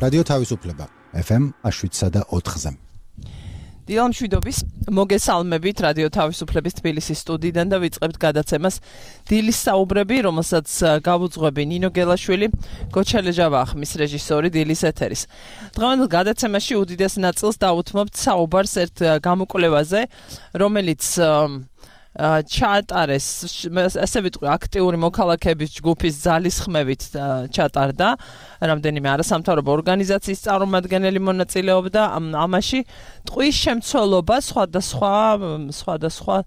რადიო თავისუფლება FM 7.4-ზე. დილა მშვიდობის, მოგესალმებით რადიო თავისუფლების თბილისის სტუდიიდან და ვიწყებთ გადაცემას დილის საუბრები, რომელსაც გავუძღვები ნინო გელაშვილი, გოჩალე ჯავახის რეჟისორი დილის ეთერის. დღევანდელ გადაცემაში უდიდეს ნაწილს დავუთმობთ საუბარს ერთ გამოკვლევაზე, რომელიც ჩაატარეს, ასე ვიტყვი, აქტიური მოქალაქეების ჯგუფის ძალისხმევით ჩატარდა. რამდენიმე არასამთავრობო ორგანიზაციის წარმომადგენელი მონაწილეობდა ამაში. ტყუის შემცველობა სხვადასხვა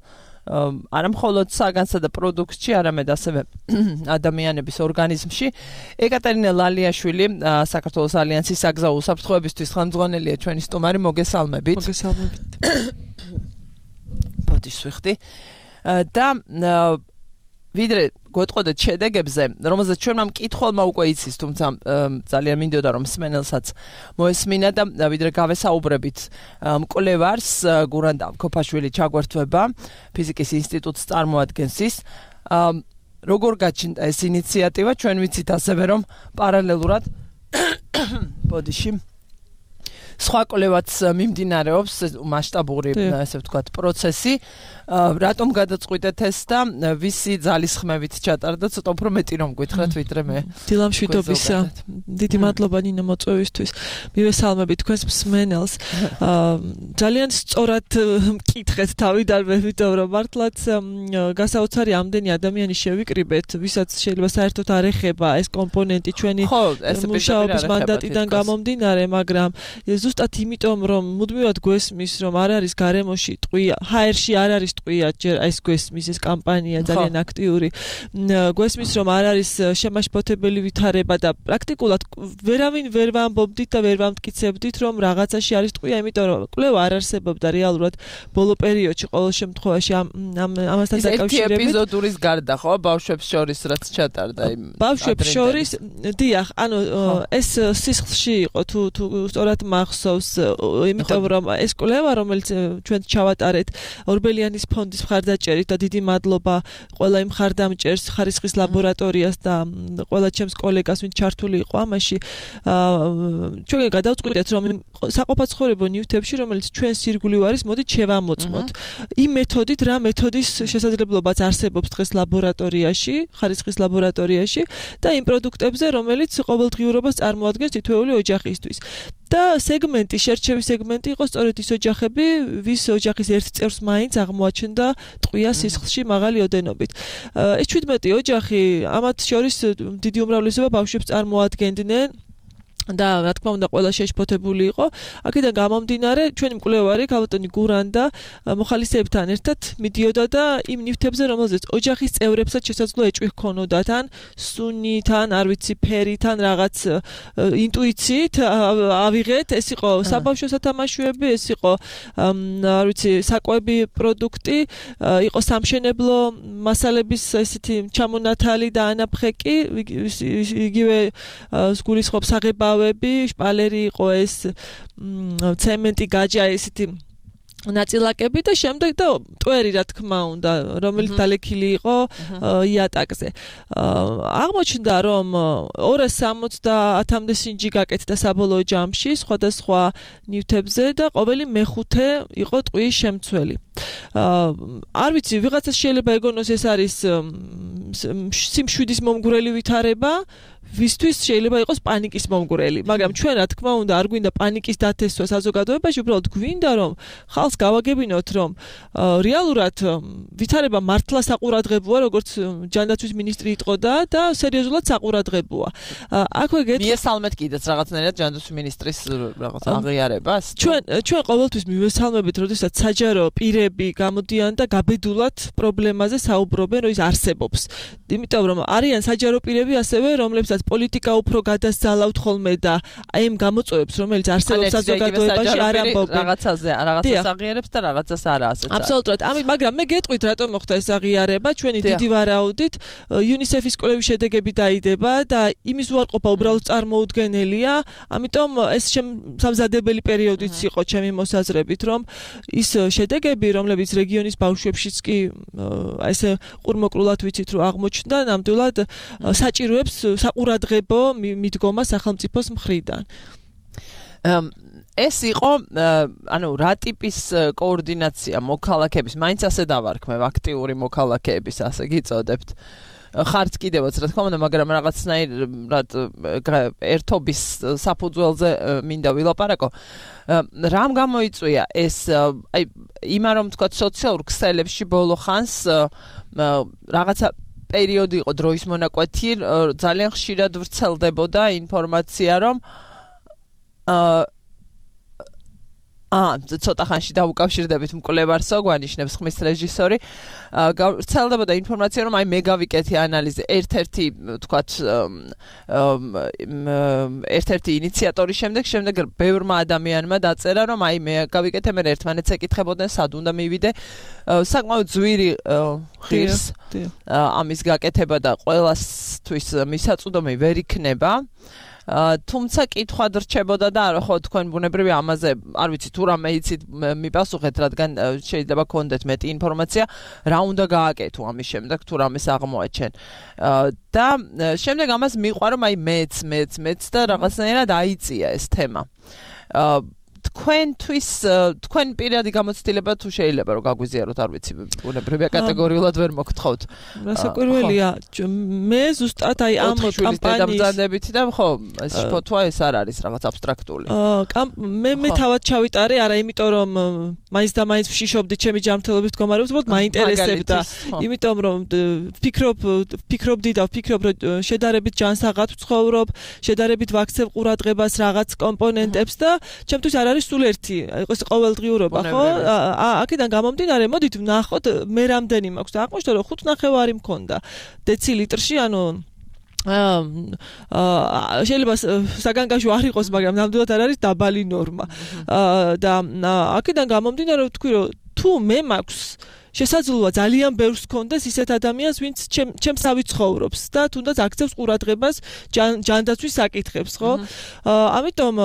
არა მხოლოდ საგანსა და პროდუქტში, არამედ ასევე ადამიანების ორგანიზმში. ეკატერინე ლალიაშვილი, საქართველოს ალიანსის საგზაო უსაფრთხოებისთვის ხელმძღვანელია ჩვენი სტუმარი, მოგესალმებით. მოგესალმებით. პოდიშვიხდი. და ვიდრე გვეტყოდეთ შედეგებზე, რომელზეც ჩვენმა მკითხველმა უკვე იცის, თუმცა ძალიან მინდოდა რომ მსმენელსაც მოესმინა და ვიდრე გავესაუბრებით მკვლევარს გურანდა ქოფაშვილი ჩაგვერთვება ფიზიკის ინსტიტუტს წარმოადგენს ის. როგორ გაჩნდა ეს ინიციატივა? ჩვენ ვიცით ასევე რომ პარალელურად ბოდიში სხვა კვლევაც მიმდინარეობს, მასშტაბური, ასე ვთქვათ, პროცესი. რატომ გადაწყვიტეთ ეს და ვისი ძალისხმევით ჩატარდა? ცოტა უფრო მეტი რომ გითხრათ, ვიდრე მე. დილა მშვიდობისა. დიდი მადლობა ნინო მოწვევისთვის. მივესალმებით თქვენს მსმენელს. ძალიან სწორად მკითხეთ თავიდან, ვიტყვი რომ მართლაც გასაოცარი ამდენი ადამიანი შევიკრიბეთ, ვისაც შეიძლება საერთოდ არ ეხება ეს კომპონენტი ჩვენი მუშაობის მანდატიდან გამომდინარე, მაგრამ ზუსტად იმიტომ რომ მუდმივად გვესმის რომ არ არის გარემოში ტყვია, ჰაერში არ არის ტყვია, ჯერ ეს გვესმის ეს კამპანია ძალიან აქტიური. გვესმის რომ არ არის შემაშფოთებელი ვითარება და პრაქტიკულად ვერავინ ვერ ვამბობდით და ვერ ვამტკიცებდით რომ რაღაცაში არის ტყვია, იმიტომ რომ კვლევა არ არსებობდა რეალურად ბოლო პერიოდში ყოველ შემთხვევაში ამასთან დაკავშირებით. ეს ეპიზოდურის გარდა ხო ბავშვებს შორის რაც ჩატარდა იმ ბავშვებს შორის დიახ, ანუ ეს სისხლში იყო თუ სწორად მახსოვს, იმიტომ რომ ეს კვლევა რომელიც ჩვენ ჩავატარეთ ორბელიანის ფონდის მხარდაჭერით და დიდი მადლობა ყველა იმ მხარდამჭერს, ხარისხის ლაბორატორიას და ყველა ჩემს კოლეგას, ვინც ჩართული იყო ამაში. ჩვენ გადავწყვიტეთ რომ საყოფაცხოვრებო ნივთებში, რომელიც ჩვენს ირგვლივ არის, მოდით შევამოწმოთ. იმ მეთოდით, რა მეთოდის შესაძლებლობაც არსებობს დღეს ლაბორატორიაში, ხარისხის ლაბორატორიაში და იმ პროდუქტებზე, რომელიც ყოველდღიურობას წარმოადგენს თითოეული ოჯახისთვის. და სეგმენტი, შერჩევის სეგმენტი იყო სწორედ ის ოჯახები, ვის ოჯახის ერთ წევრს მაინც აღმოაჩნდა ტყვია სისხლში მაღალი ოდენობით. ეს 17 ოჯახი, ამათ შორის დიდი უმრავლესობა ბავშვებს წარმოადგენდნენ. და რა თქმა უნდა ყველა შეშფოთებული იყო. აქედან გამომდინარე ჩვენი მკვლევარი ქალბატონი გურანდა მოხალისეებთან ერთად მიდიოდა და იმ ნივთებზე, რომელზეც ოჯახის წევრებსაც შესაძლოა ეჭვი ჰქონოდათ, ან სუნით, ან არ ვიცი ფერით, ან რაღაც ინტუიციით ავიღეთ. ეს იყო საბავშვო სათამაშოები, ეს იყო არ ვიცი საკვები პროდუქტი, იყო სამშენებლო მასალების ესეთი ჩამონათალი და ანაფხეკი, იგივე გულისხმობს საღებავ შპალერი იყო ეს ცემენტი გაჯა ესეთი ნაწილაკები და შემდეგ და ტვერი რა თქმა უნდა რომელიც დალექილი იყო იატაკზე. აღმოჩნდა რომ 270-მდე სინჯი გაკეთდა საბოლოო ჯამში სხვადასხვა ნივთებზე და ყოველი მეხუთე იყო ტყუის შემცველი. არ ვიცი, ვიღაცას შეიძლება ეგონოს ეს არის სიმშვიდის მომგვრელი ვითარება, ვისთვის შეიძლება იყოს პანიკის მომგვრელი, მაგრამ ჩვენ რა თქმა უნდა არ გვინდა პანიკის დათესვა საზოგადოებაში, უბრალოდ გვინდა რომ ხალხს გავაგებინოთ რომ რეალურად ვითარება მართლა საყურადღებოა, როგორც ჯანდაცვის მინისტრი იტყოდა და სერიოზულად საყურადღებოა. აქვე მიესალმეთ კიდეც რაღაცნაირად ჯანდაცვის მინისტრის რაღაც აღიარებას. ჩვენ ყოველთვის მივესალმებით, როდესაც საჯარო პირები გამოდიან და გაბედულად პრობლემაზე საუბრობენ, რომ ის არსებობს. იმიტომ რომ არიან საჯარო პირები ასევე, რომლებსაც პოლიტიკა უფრო გადასძალავთ ხოლმე და აი ამ გამოწვევებს, რომელიც არსებობს საზოგადოებაში არ ამბობენ. რაღაცაზე აღიარებს და რაღაცას არა ასეც. აბსოლუტურად. მაგრამ მე გეტყვით რატომ მოხდა ეს აღიარება, ჩვენი დიდი ვარაუდით UNICEF-ის კვლევის შედეგები დაიდება და იმის უარყოფა უბრალოდ წარმოუდგენელია, ამიტომ ეს სამზადებელი პერიოდიც იყო ჩემი მოსაზრებით, რომ ის შედეგები, რომლებიც რეგიონის ბავშვებშიც კი ესე ყურმოკრულად ვიცით, რომ აღმოჩნდა, ნამდვილად საჭიროებს საყურადღებო მიდგომა სახელმწიფოს მხრიდან. ეს იყო ანუ რა ტიპის კოორდინაცია მოქალაქეების მაინც ასე დავარქმევ აქტიური მოქალაქეების ასე გიწოდებთ ხარც კიდევაც რა თქმა უნდა მაგრამ რაღაცნაირად ერთობის საფუძველზე მინდა ვილაპარაკო რამ გამოიწვია ეს აი იმა რომ თქვა სოციალურ ქსელებში ბოლო ხანს რაღაცა პერიოდი იყო დროის მონაკვეთი ძალიან ხშირად ვრცელდებოდა ინფორმაცია რომ ცოტა ხანში დაუკავშირდებით მკვლევარსო გვანიშნებს ხმის რეჟისორი ვრცელდებოდა ინფორმაცია რომ აი მე გავიკეთე ანალიზი ერთ-ერთი ინიციატორის შემდეგ ბევრმა ადამიანმა დაწერა რომ აი მე გავიკეთე მე ერთმანეთს ეკითხებოდნენ სად უნდა მივიდე საკმაოდ ძვირი ღირს ამის გაკეთება და ყველასთვის მისაწვდომი ვერ იქნება თუმცა კითხვა რჩებოდა და არა ხო თქვენ ბუნებრივი ამაზე არ ვიცი თუ რამე იცით მიპასუხეთ რადგან შეიძლება გქონდეთ მეტი ინფორმაცია რა უნდა გააკეთო ამის შემდეგ თუ რამეს აღმოაჩენ და შემდეგ ამას მიყვა რომ აი მეც და რაღაცნაირად აიწია ეს თემა თქვენ პირადი გამოცდილება თუ შეიძლება რომ გაგვიზიაროთ არ ვიცი ბუნებრივია კატეგორიულად ვერ მოგთხოვთ რასაკვირველია მე ზუსტად აი ამ კამპანიის დამძანდებით და ხო ეს ფოთვა ეს არ არის რაღაც აბსტრაქტული მე თავად ჩავიტარე არა იმიტომ რომ მაინც და მაინც ვშიშობდი ჩემი ჯანმრთელობის მდგომარეობას უბრალოდ მაინტერესებდა იმიტომ რომ ვფიქრობდი და ვფიქრობ რომ შედარებით ჯანსაღად ვცხოვრობ შედარებით ვაქცევ ყურადღებას რაღაც კომპონენტებს და ჩემთვის არ არის სულ ერთი იყოს ყოველდღიურობა ხო აქედან გამომდინარე მოდით ვნახოთ მე რამდენი მაქვს და აღმოჩნდა რომ 5.5 მქონდა დეცილიტრში ანუ შეიძლება საგანგაშო არ იყოს მაგრამ ნამდვილად არ არის დაბალი ნორმა და აქედან გამომდინარე რომ თქვი რომ თუ მე მაქვს შესაძლოა ძალიან ბევრს კონდეს ისეთ ადამიანს ვინც ჩემს ავიცხოვრობს და თუნდაც აქცევს ყურადღებას ჯანდაცვის საკითხებს ხო ამიტომ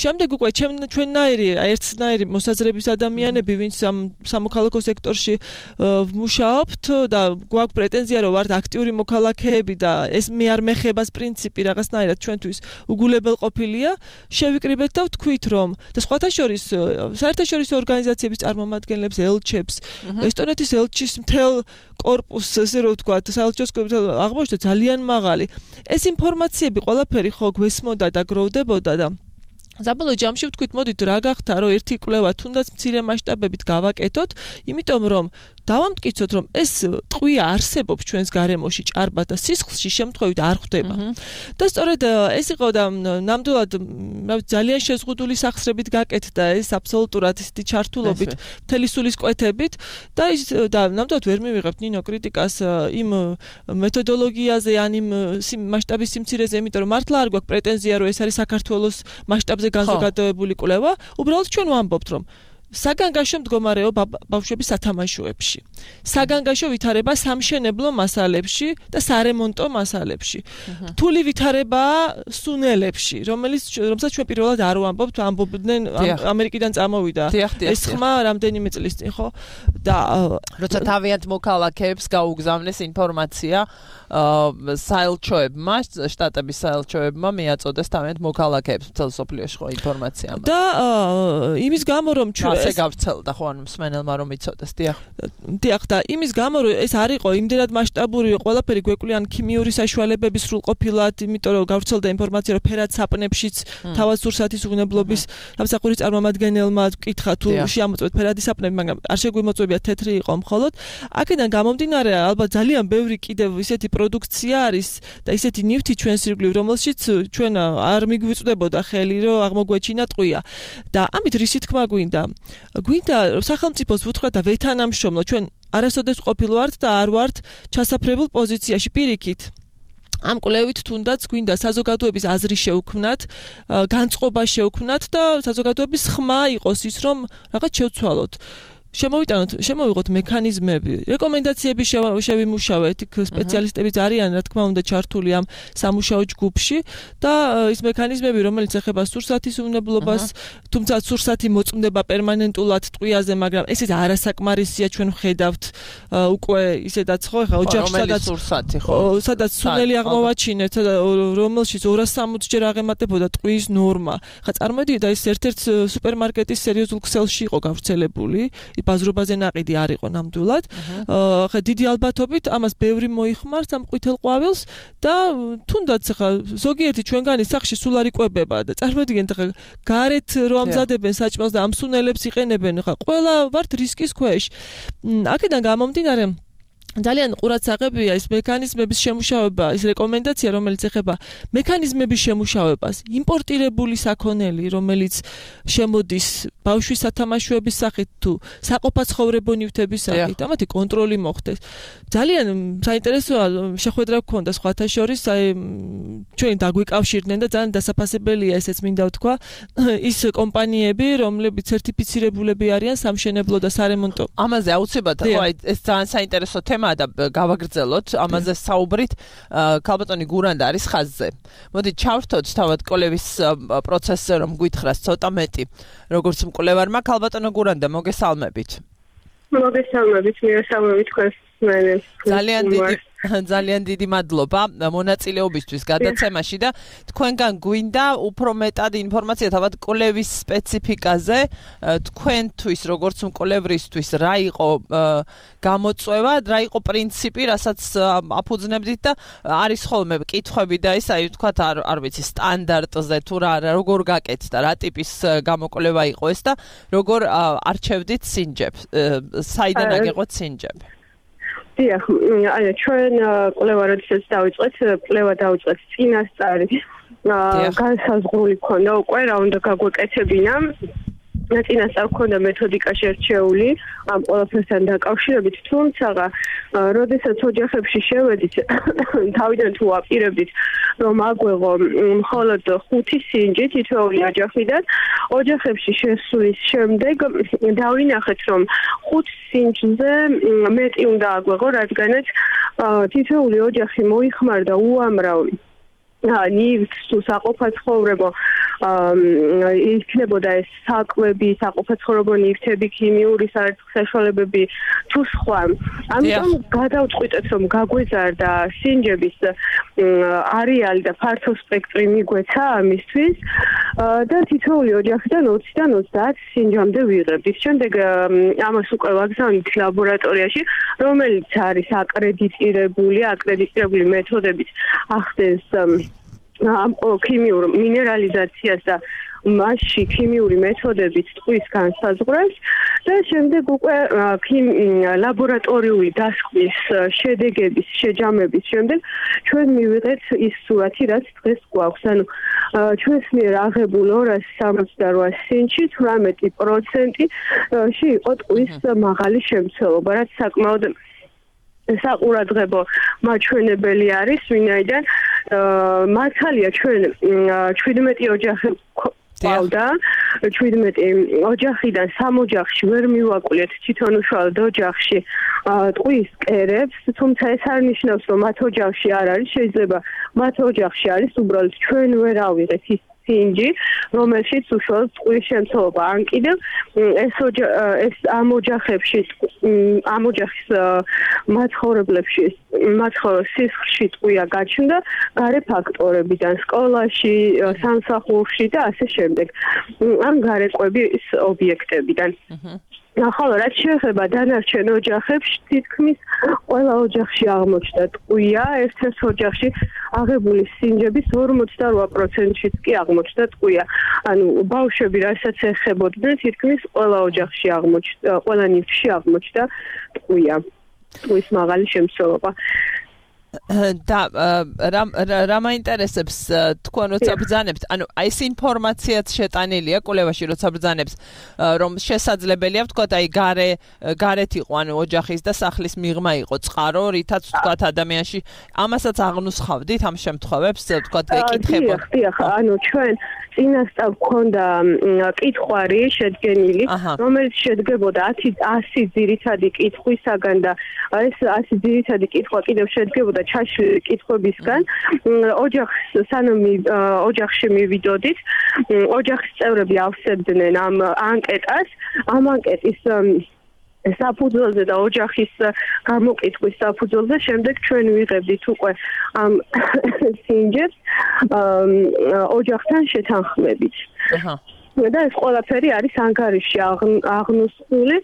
შემდეგ უკვე ჩვენნაირი ერთნაირი მოსაზრების ადამიანები ვინც სამოქალაქო სექტორში ვმუშაობთ და გვაქვს პრეტენზია რომ ვართ აქტიური მოქალაქეები და ეს მე არ მეხებას პრინციპი რაღაცნაირად ჩვენთვის უგულებელყოფილია შევიკრიბეთ და ვთქვით რომ და სხვათა შორის საერთაშორისო ორგანიზაციების წარმომადგენლებს ელჩებს ესტონეთის ელჩის მთელ კორპუსს ესე რომ ვთქვა საელჩოს აღმოჩნდა ძალიან მაღალი ეს ინფორმაციები ყველაფერი ხო გვესმოდა და გროვდებოდა და საბოლოო ჯამში ვთქვით მოდით რა გახდა რომ ერთი კვლევა თუნდაც მცირე მასშტაბებით გავაკეთოთ იმიტომ რომ დავამტკიცოთ რომ ეს ტყვია არსებობს ჩვენს გარემოში ჭარბად და სისხლში შემთხვევით არ ხვდება და სწორედ ეს იყო და ნამდვილად ძალიან შეზღუდული სახსრებით გაკეთდა ეს აბსოლუტურად ისეთი ჩართულობით მთელი სულის კვეთებით და ნამდვილად ვერ მივიღებთ ნინო კრიტიკას იმ მეთოდოლოგიაზე ან იმ მასშტაბის სიმცირეზე იმიტომ რომ მართლა არ გვაქვს პრეტენზია რომ ეს არის საქართველოს მასშტაბზე განზოგადებული კვლევა უბრალოდ ჩვენ ვამბობთ რომ საგანგაშო მდგომარეობა ბავშვების სათამაშოებში საგანგაშო ვითარება სამშენებლო მასალებში და სარემონტო მასალებში რთული ვითარება სუნელებში რომელსაც ჩვენ პირველად არ ვამბობთ ამბობდნენ ამერიკიდან წამოვიდა ეს ხმა რამდენიმე წლის წინ ხო და როცა თავიანთ მოქალაქეებს გაუგზავნეს ინფორმაცია საელჩოებმა შტატების საელჩოებმა მიაწოდეს თავიანთ მოქალაქეებს მთელ სოფლიოში ხო ინფორმაცია და იმის გამო რომ ჩვენ ასე გავცელდა ხო ანუ მსმენელმა რომ იცოდეს დიახ და იმის გამო რომ ეს არ იყო იმდენად მასშტაბური ყველაფერი გვეკვლიან ქიმიური საშუალებების სრულყოფილად იმიტომ რომ გავრცელდა ინფორმაცია რომ ფერად საპნებშიც თავად სურსათის უღნებლობის სამსახურის წარმომადგენელმა ვკითხა თუ შეამოწმეთ ფერადი საპნები მაგრამ არ შეგვიმოწმებია თეთრი იყო მხოლოდ აქედან გამომდინარე ალბათ ძალიან ბევრი კიდევ ისეთი პროდუქცია არის და ისეთი ნივთი ჩვენს ირგვლივ რომელშიც ჩვენ არ მიგვიწვდებოდა ხელი რომ აღმოგვეჩინა ტყვია და ამით რისი თქმა გვინდა სახელმწიფოს ვუთხრა და ვეთანამშრომლო ჩვენ არასოდეს ყოფილვართ და არ ვართ ჩასაფრებულ პოზიციაში პირიქით ამ კვლევით თუნდაც გვინდა საზოგადოების აზრი შევქმნათ, განწყობა შევქმნათ და საზოგადოების ხმა იყოს ის რომ რაღაც შევცვალოთ. შემოვიყოთ მექანიზმები, რეკომენდაციები შევიმუშავეთ, იქ სპეციალისტებიც არიან, რა თქმა უნდა, ჩართული ამ სამუშაო ჯგუფში და ის მექანიზმები, რომელიც ეხება სურსათის უნებლობას, თუმცა სურსათი მოწმდება პერმანენტულად ტყვიაზე, მაგრამ ესეც არასაკმარისია, ჩვენ ვხედავთ უკვე ისედაც ხო, ხა ოჯახში სადაც სუნელი აღმოვაჩინეთ, რომელშიც 260 ჯერ აღემატებოდა ტყვის ნორმა. ხა წარმოდიეთ, ეს ერთ-ერთ სუპერმარკეტის სერიოზულ ქსელში იყო გავრცელებული, ბაზრობაზე ნაყიდი არ იყო ნამდვილად. ხა დიდი ალბათობით ამას ბევრი მოიხმარს ამ ყვითელ ყვავილს და თუნდაც ხა ზოგიერთი ჩვენგანი სახში სულ არ იკვებება და წარმოდიდგენთ ხა გარეთ რო ამზადებენ საჭმელს და ამ სუნელებს იყენებენ, ხა ყველა ვართ რისკის ქვეშ. აქედან გამომდინარე ძალიან ყურადსაღებია ის მექანიზმების შემუშავება, ის რეკომენდაცია, რომელიც ეხება მექანიზმების შემუშავებას, იმპორტირებული საქონელი, რომელიც შემოდის ბავშვის სათამაშოების სახით თუ საყოფაცხოვრებო ნივთების სახით, ამათი კონტროლი მოხდეს. ძალიან საინტერესოა შეხვედრა გქონდა სხვათა შორის, ჩვენ დაგვიკავშირდნენ და ძალიან დასაფასებელია ესეც მინდა ვთქვა, ის კომპანიები, რომლებიც სერტიფიცირებულები არიან სამშენებლო და სარემონტო. ამაზე აუცილებლად, ხო, ეს ძალიან საინტერესო თემაა და გავაგრძელოთ ამაზე საუბრით. ქალბატონი გურანდა არის ხაზზე. მოდით ჩავრთოთ თავად კოლევის პროცესზე, რომ გვითხრას ცოტა მეტი. როგორც მკვლევარმა, ქალბატონო გურანდა, მოგესალმებით. მოგესალმებით, მირესალმებით თქვენს მენეს. ძალიან დიდი მადლობა მონაწილეობისთვის გადაცემაში და თქვენგან გვინდა უფრო მეტად ინფორმაცია თავად კოლევის სპეციფიკაზე, თქვენთვის როგორც მკვლევრისთვის რა იყო გამოწვევა, რა იყო პრინციპი, რასაც აფუძნებდით და არის ხოლმე კითხვები და ის აი ვთქვათ არ ვიცი სტანდარტზე თუ როგორ გაკეთდა, რა ტიპის გამოკვლევა იყო ეს და როგორ არჩევდით სინჯებს, საიდან აგეყოთ სინჯები. დიახ, ჩვენ კვლევა როდესაც დავიწყეთ, კვლევა დავიწყეთ წინასწარი. განსაზღვრული ქონდა უკვე რა უნდა გაგვეკეთებინა. წინასწარ ქონდა მეთოდიკა შერჩეული ამ ყველაფერთან დაკავშირებით, თუმცა როდესაც ოჯახებში შევედით, თავიდან თუ აპირებდით, რომ აგვეღო მხოლოდ 5 სინჯი თითოეული ოჯახიდან, ოჯახებში შესვლის შემდეგ დავინახეთ, რომ 5 სინჯზე მეტი უნდა აგვეღო, რადგანაც თითოეული ოჯახი მოიხმარდა უამრავ ნივთს თუ საყოფაცხოვრებო იქნებოდა ეს საკვები, საყოფაცხოვრებო ნივთები, ქიმიური საშუალებები თუ სხვა. ამიტომ გადავწყვიტეთ, რომ გაგვეზარდა სინჯების არეალი და ფართო სპექტრი მიგვეცა ამისთვის და თითოეული ოჯახიდან 20-დან 30 სინჯამდე ვიღებდით. შემდეგ ამას უკვე ვაგზავნით ლაბორატორიაში, რომელიც არის აკრედიტირებული მეთოდებით ახდენს ამ ქიმიურ მინერალიზაციას და მასში ქიმიური მეთოდებით ტყვის განსაზღვრას და შემდეგ უკვე ლაბორატორიული დასკვნის შედეგების შეჯამების შემდეგ ჩვენ მივიღეთ ის სურათი, რაც დღეს გვაქვს. ანუ ჩვენს მიერ აღებულ 268 სინჯში 18%-ში იყო ტყვის მაღალი შემცველობა, რაც საკმაოდ საყურადღებო მაჩვენებელი არის, ვინაიდან მართალია ჩვენ 17 ოჯახი ყავდა, 17 ოჯახიდან 3 ოჯახში ვერ მივაკვლიეთ თვითონ უშუალოდ ოჯახში ტყვის კერებს, თუმცა ეს არ ნიშნავს, რომ მათ ოჯახში არ არის, შეიძლება მათ ოჯახში არის, უბრალოდ ჩვენ ვერ ავიღეთ ის სინჯი, რომელშიც უშუალოდ ტყვის შემცველობა. ან კიდევ ეს ამ ოჯახებში, ამ ოჯახის მაცხოვრებლებში, სისხლში ტყვია გაჩნდა გარე ფაქტორებიდან, სკოლაში, სამსახურში და ასე შემდეგ. ამ გარეკვების ობიექტებიდან. ხოლო რაც შეეხება დანარჩენ ოჯახებს, თითქმის ყველა ოჯახში აღმოჩნდა ტყვია, ერთ-ერთ ოჯახში აღებული სინჯების 48%-შიც კი აღმოჩნდა ტყვია. ანუ ბავშვები რასაც ეხებოდნენ, თითქმის ყველა ოჯახში აღმოჩნდა, ყველა ნივთში აღმოჩნდა ტყვია, ტყვის მაღალი შემცველობა. და რა მაინტერესებს თქვენ როცა ბრძანებთ, ანუ აი ეს ინფორმაციაც შეტანილია კვლევაში როცა ბრძანებს, რომ შესაძლებელია ვთქვათ აი გარეთ იყო, ანუ ოჯახის და სახლის მიღმა იყო წყარო, რითაც ვთქვათ ადამიანში ამასაც აღნუსხავდით ამ შემთხვევებს, ვთქვათ ეკითხებოდ. დიახ, ანუ ჩვენ წინასწარ გქონდა კითხვარი შედგენილი, რომელიც შედგებოდა 100 ძირითადი კითხვისაგან და ეს 100 ძირითადი კითხვა კიდევ შედგებოდა ჩაშლილი კითხვებისგან. ოჯახში მივიდოდით, ოჯახის წევრები ავსებდნენ ამ ანკეტას, ამ ანკეტის საფუძველზე და ოჯახის გამოკითხვის საფუძველზე შემდეგ ჩვენ ვიღებდით უკვე ამ სინჯებს ოჯახთან შეთანხმებით. და ეს ყველაფერი არის ანგარიშში აღნუსხული,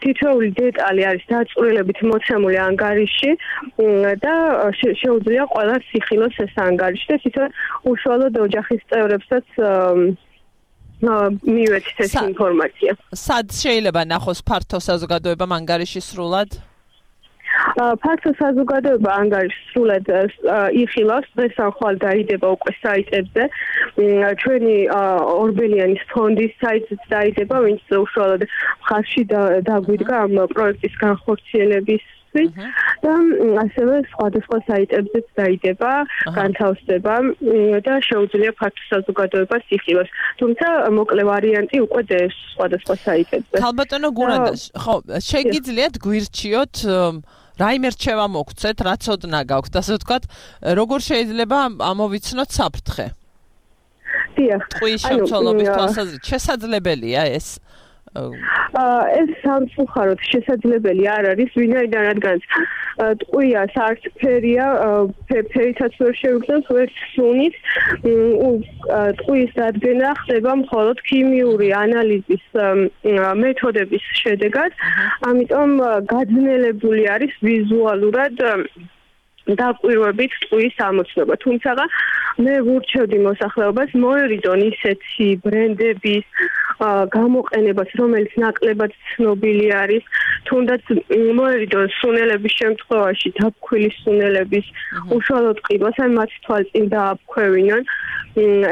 თითოეული დეტალი არის დაწვრილებით მოცემული ანგარიშში და შეუძლია ყველას იხილოს ეს ანგარიში და თვითონ უშუალოდ ოჯახის წევრებსაც მივეცით ეს ინფორმაცია. სად შეიძლება ნახოს ფართო საზოგადოებამ ანგარიში სრულად? ფართო საზოგადოება ანგარიშს სრულად იხილავს, დღეს ან ხვალ დაიდება უკვე საიტებზე. ჩვენი ორბელიანის ფონდის საიტიც დაიდება, ვინც უშუალოდ ხაზში დაგვიდგა ამ პროექტის განხორციელების და ასევე სხვადასხვა საიტებზეც დაიდება, განთავსდება და შეუძლია ფართო საზოგადოებას იხილოს. თუმცა მოკლე ვარიანტი უკვე დევს სხვადასხვა საიტებზე. ქალბატონო გურანდა, ხო, შეგიძლიათ გვირჩიოთ რაიმე რჩევა მოგცეთ, რა ცოდნა გაქვთ, ასე ვთქვათ, როგორ შეიძლება ამოვიცნოთ საფრთხე? დიახ. ტყუის შემცველობის თვალსაზრისით შესაძლებელია ეს? ეს სამწუხაროდ შესაძლებელი არ არის, ვინაიდან რადგან ტყუია საერთფერია, ფერითაც ვერ შევიგრძნოთ, ვერც სუნით. ტყუის დადგენა ხდება მხოლოდ ქიმიური ანალიზის მეთოდების შედეგად, ამიტომ გაძნელებული არის ვიზუალურად დაკვირვებით ტყუის ამოცნობა. თუმცა მე ვურჩევდი მოსახლეობას მოერიდონ ისეთი ბრენდების გამოყენებას, რომელიც ნაკლებად ცნობილი არის, თუნდაც მოერიდონ სუნელების შემთხვევაში დაბქვილი სუნელების უშუალოდ ყიდვას, ან მათ თვალწინ დააბქვევინონ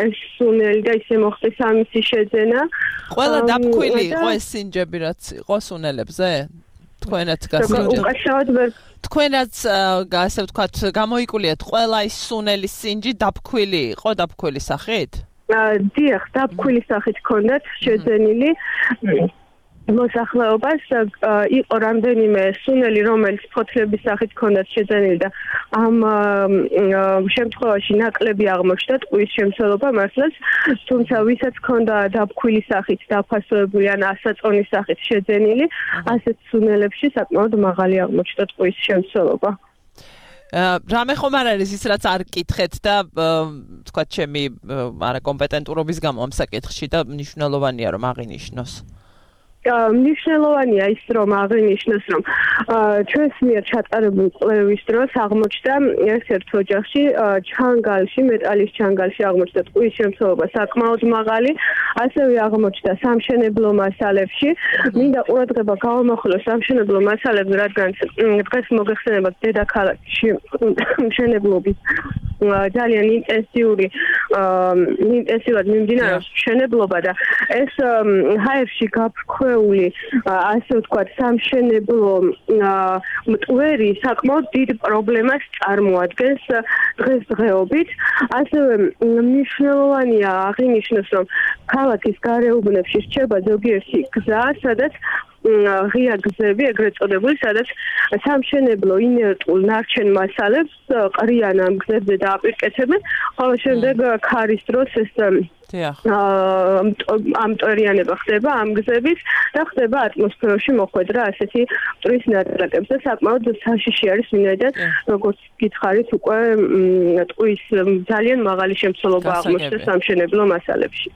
ეს სუნელი და ისე მოხდეს ამისი შეძენა. ყველა დაბქვილი იყო ეს სინჯები, რაც იყო სუნელებზე? თქვენაც თქვენაც ასე ვთქვათ გამოიკულიათ ყველა ის სუნელის სინჯი დაბქვილი იყო, დაბქვილი სახით? დიახ, დაბქვილი სახით ჰქონდათ შეძენილი მოსახლეობას, იყო რამდენიმე სუნელი, რომელიც ფოთლების სახით ჰქონდათ შეძენილი და ამ შემთხვევაში ნაკლები აღმოჩნდა ტყუის შემცველობა მართლაც, თუმცა ვისაც ჰქონდა დაბქვილი სახით დაფასებული ან ასაწონის სახით შეძენილი, ასეთ სუნელებში საკმაოდ მაღალი აღმოჩნდა ტყუის შემცველობა. რამე ხომ არ არის ის რაც არ კითხეთ და თქვა ჩემი არაკომპეტენტურობის გამო ამ საკითხში და მნიშვნელოვანია რომ აღინიშნოს. მნიშვნელოვანია ის რომ აღინიშნოს რომ ჩვენს მიერ ჩატარებული კვლევის დროს აღმოჩნდა ერთ-ერთ ოჯახში ჩანგალში, მეტალის ჩანგალში აღმოჩნდა ტყუის შემცველობა საკმაოდ მაღალი, ასევე აღმოჩნდა სამშენებლო მასალებში. მინდა ყურადღება გავამახვილოს სამშენებლო მასალებზე, რადგან დღეს მოგეხსენებათ დედაქალაქში მშენებლობის ძალიან ინტენსიურად მიმდინარეობს მშენებლობა და ეს ჰაერში გაფრქვეული ასე ვთქვათ სამშენებლო მტვერი საკმაოდ დიდ პრობლემას წარმოადგენს დღესდღეობით. ასევე მნიშვნელოვანია აღინიშნოს, რომ ქალაქის გარეუბნებში რჩება ზოგიერთი გზა, სადაც ღია გზები, ეგრეთ წოდებული, სადაც სამშენებლო ინერტულ ნარჩენ მასალებს ყრიან ამ გზებზე და აპირკეთებენ, ხოლო შემდეგ ქარის დროს ეს ამტვერიანება ხდება ამ გზების და ხდება ატმოსფეროში მოხვედრა ასეთი მტვრის ნაწილაკებზე. საკმაოდ საშიში არის, ვინაიდან როგორც გითხარით, უკვე ტყუის ძალიან მაღალი შემცველობა აღმოჩნდა სამშენებლო მასალებში.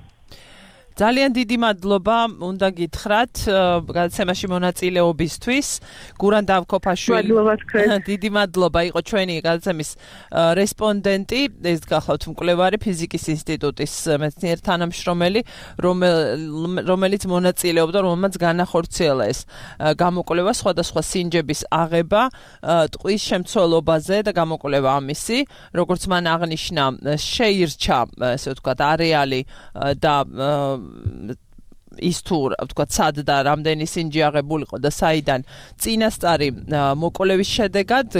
ძალიან დიდი მადლობა უნდა გითხრათ გადაცემაში მონაწილეობისთვის. გურან დავქოფაშვილი. დიდი მადლობა იყო ჩვენი გადაცემის რესპონდენტი, ეს გახლავთ მკვლევარი ფიზიკის ინსტიტუტის მეცნიერ თანამშრომელი, რომელიც მონაწილეობდა, რომელმაც განახორციელა ეს გამოკვლევა სხვადასხვა სინჯების აღება ტყვის შემცველობაზე და გამოკვლევა ამისი, როგორც მან აღნიშნა, შეირჩა, ესე ვთქვათ, არეალი და ის თუ ვთქვათ სად და რამდენი სინჯი აღებულიყო და საიდან წინასწარი მოკვლევის შედეგად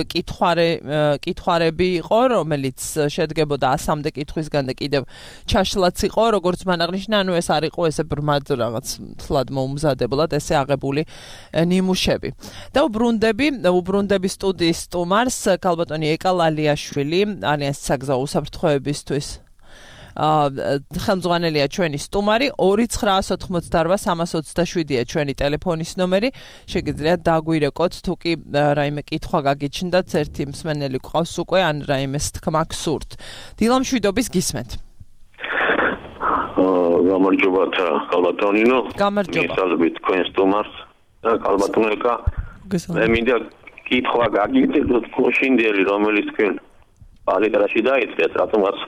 კითხვარები იყო, რომელიც შედგებოდა 100-მდე კითხვისგან და კიდევ ჩაშლაც იყო, როგორც მან აღნიშნა, ანუ ეს არ იყო ესე ბრმად რაღაც თლად მოუმზადებულად ესე აღებული ნიმუშები. და უბრუნდები სტუდიის სტუმარს ქალბატონი ეკა ლალიაშვილი, ალიანსის საგზაო უსაფრთხოებისთვის ხელმძღვანელია ჩვენი სტუმარი 2988-327-ია ჩვენი ტელეფონის ნომერი შეგიძლიათ დაგვირეკოთ თუ კი რაიმე კითხვა გაგიჩნდათ ერთი მსმენელი გვყავს უკვე ან რაიმეს თქმა გსურთ დილამშვიდობის გისმენთ გამარჯობა ქალბატონინო გამარჯობა მისალებით თქვენ სტუმარს ქალბატონიკა მე მინდა კითხვა გაგიწეროთ გოშინდელი რომელიც თქვენ პალეტრაში დაიწყეთ რატომაც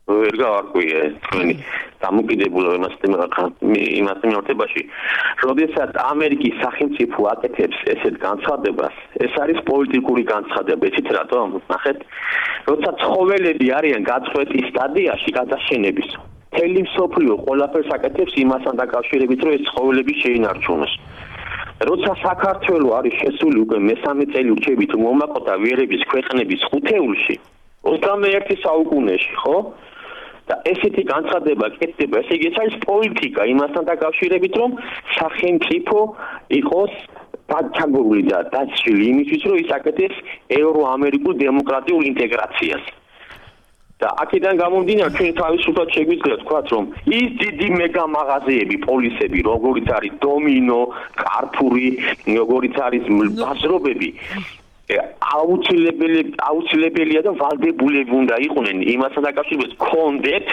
ვერ გავარკვიე თქვენი დამოკიდებულება იმას მიმართებაში, როდესაც ამერიკის სახელმწიფო აკეთებს ესეთ განცხადებას, ეს არის პოლიტიკური განცხადება, იცით რატომ? ნახეთ, როცა ცხოველები არიან გაწყვეტის სტადიაში გადაშენების, მთელი მსოფლიო ყველაფერს აკეთებს იმასთან დაკავშირებით, რომ ეს ცხოველები შეინარჩუნოს. როცა საქართველო არის შესული უკვე მესამე წელიწადით მომაყოთა ვიერების ქვეყნების ხუთეულში 21 საუკუნეში, ხო? და ესეთი განცხადება კეთდება, ესე იგი ეს არის პოლიტიკა იმასთან დაკავშირებით, რომ სახელმწიფო იყოს დაცაგებული და დაცილი იმისთვის, რომ ის აკეთებს ევროამერიკულ დემოკრატიულ ინტეგრაციას. და აქედან გამომდინარე, ჩვენ თავისუფლად შეგვიძლია თქვა, რომ ის დიდი მეგა მაღაზიები, პოლისები, როგორიც არის დომინო, კარფური, როგორიც არის ბაზრობები აუცილებელია და ვალდებულები უნდა იყვნენ იმასთან დაკავშირებით კონდეთ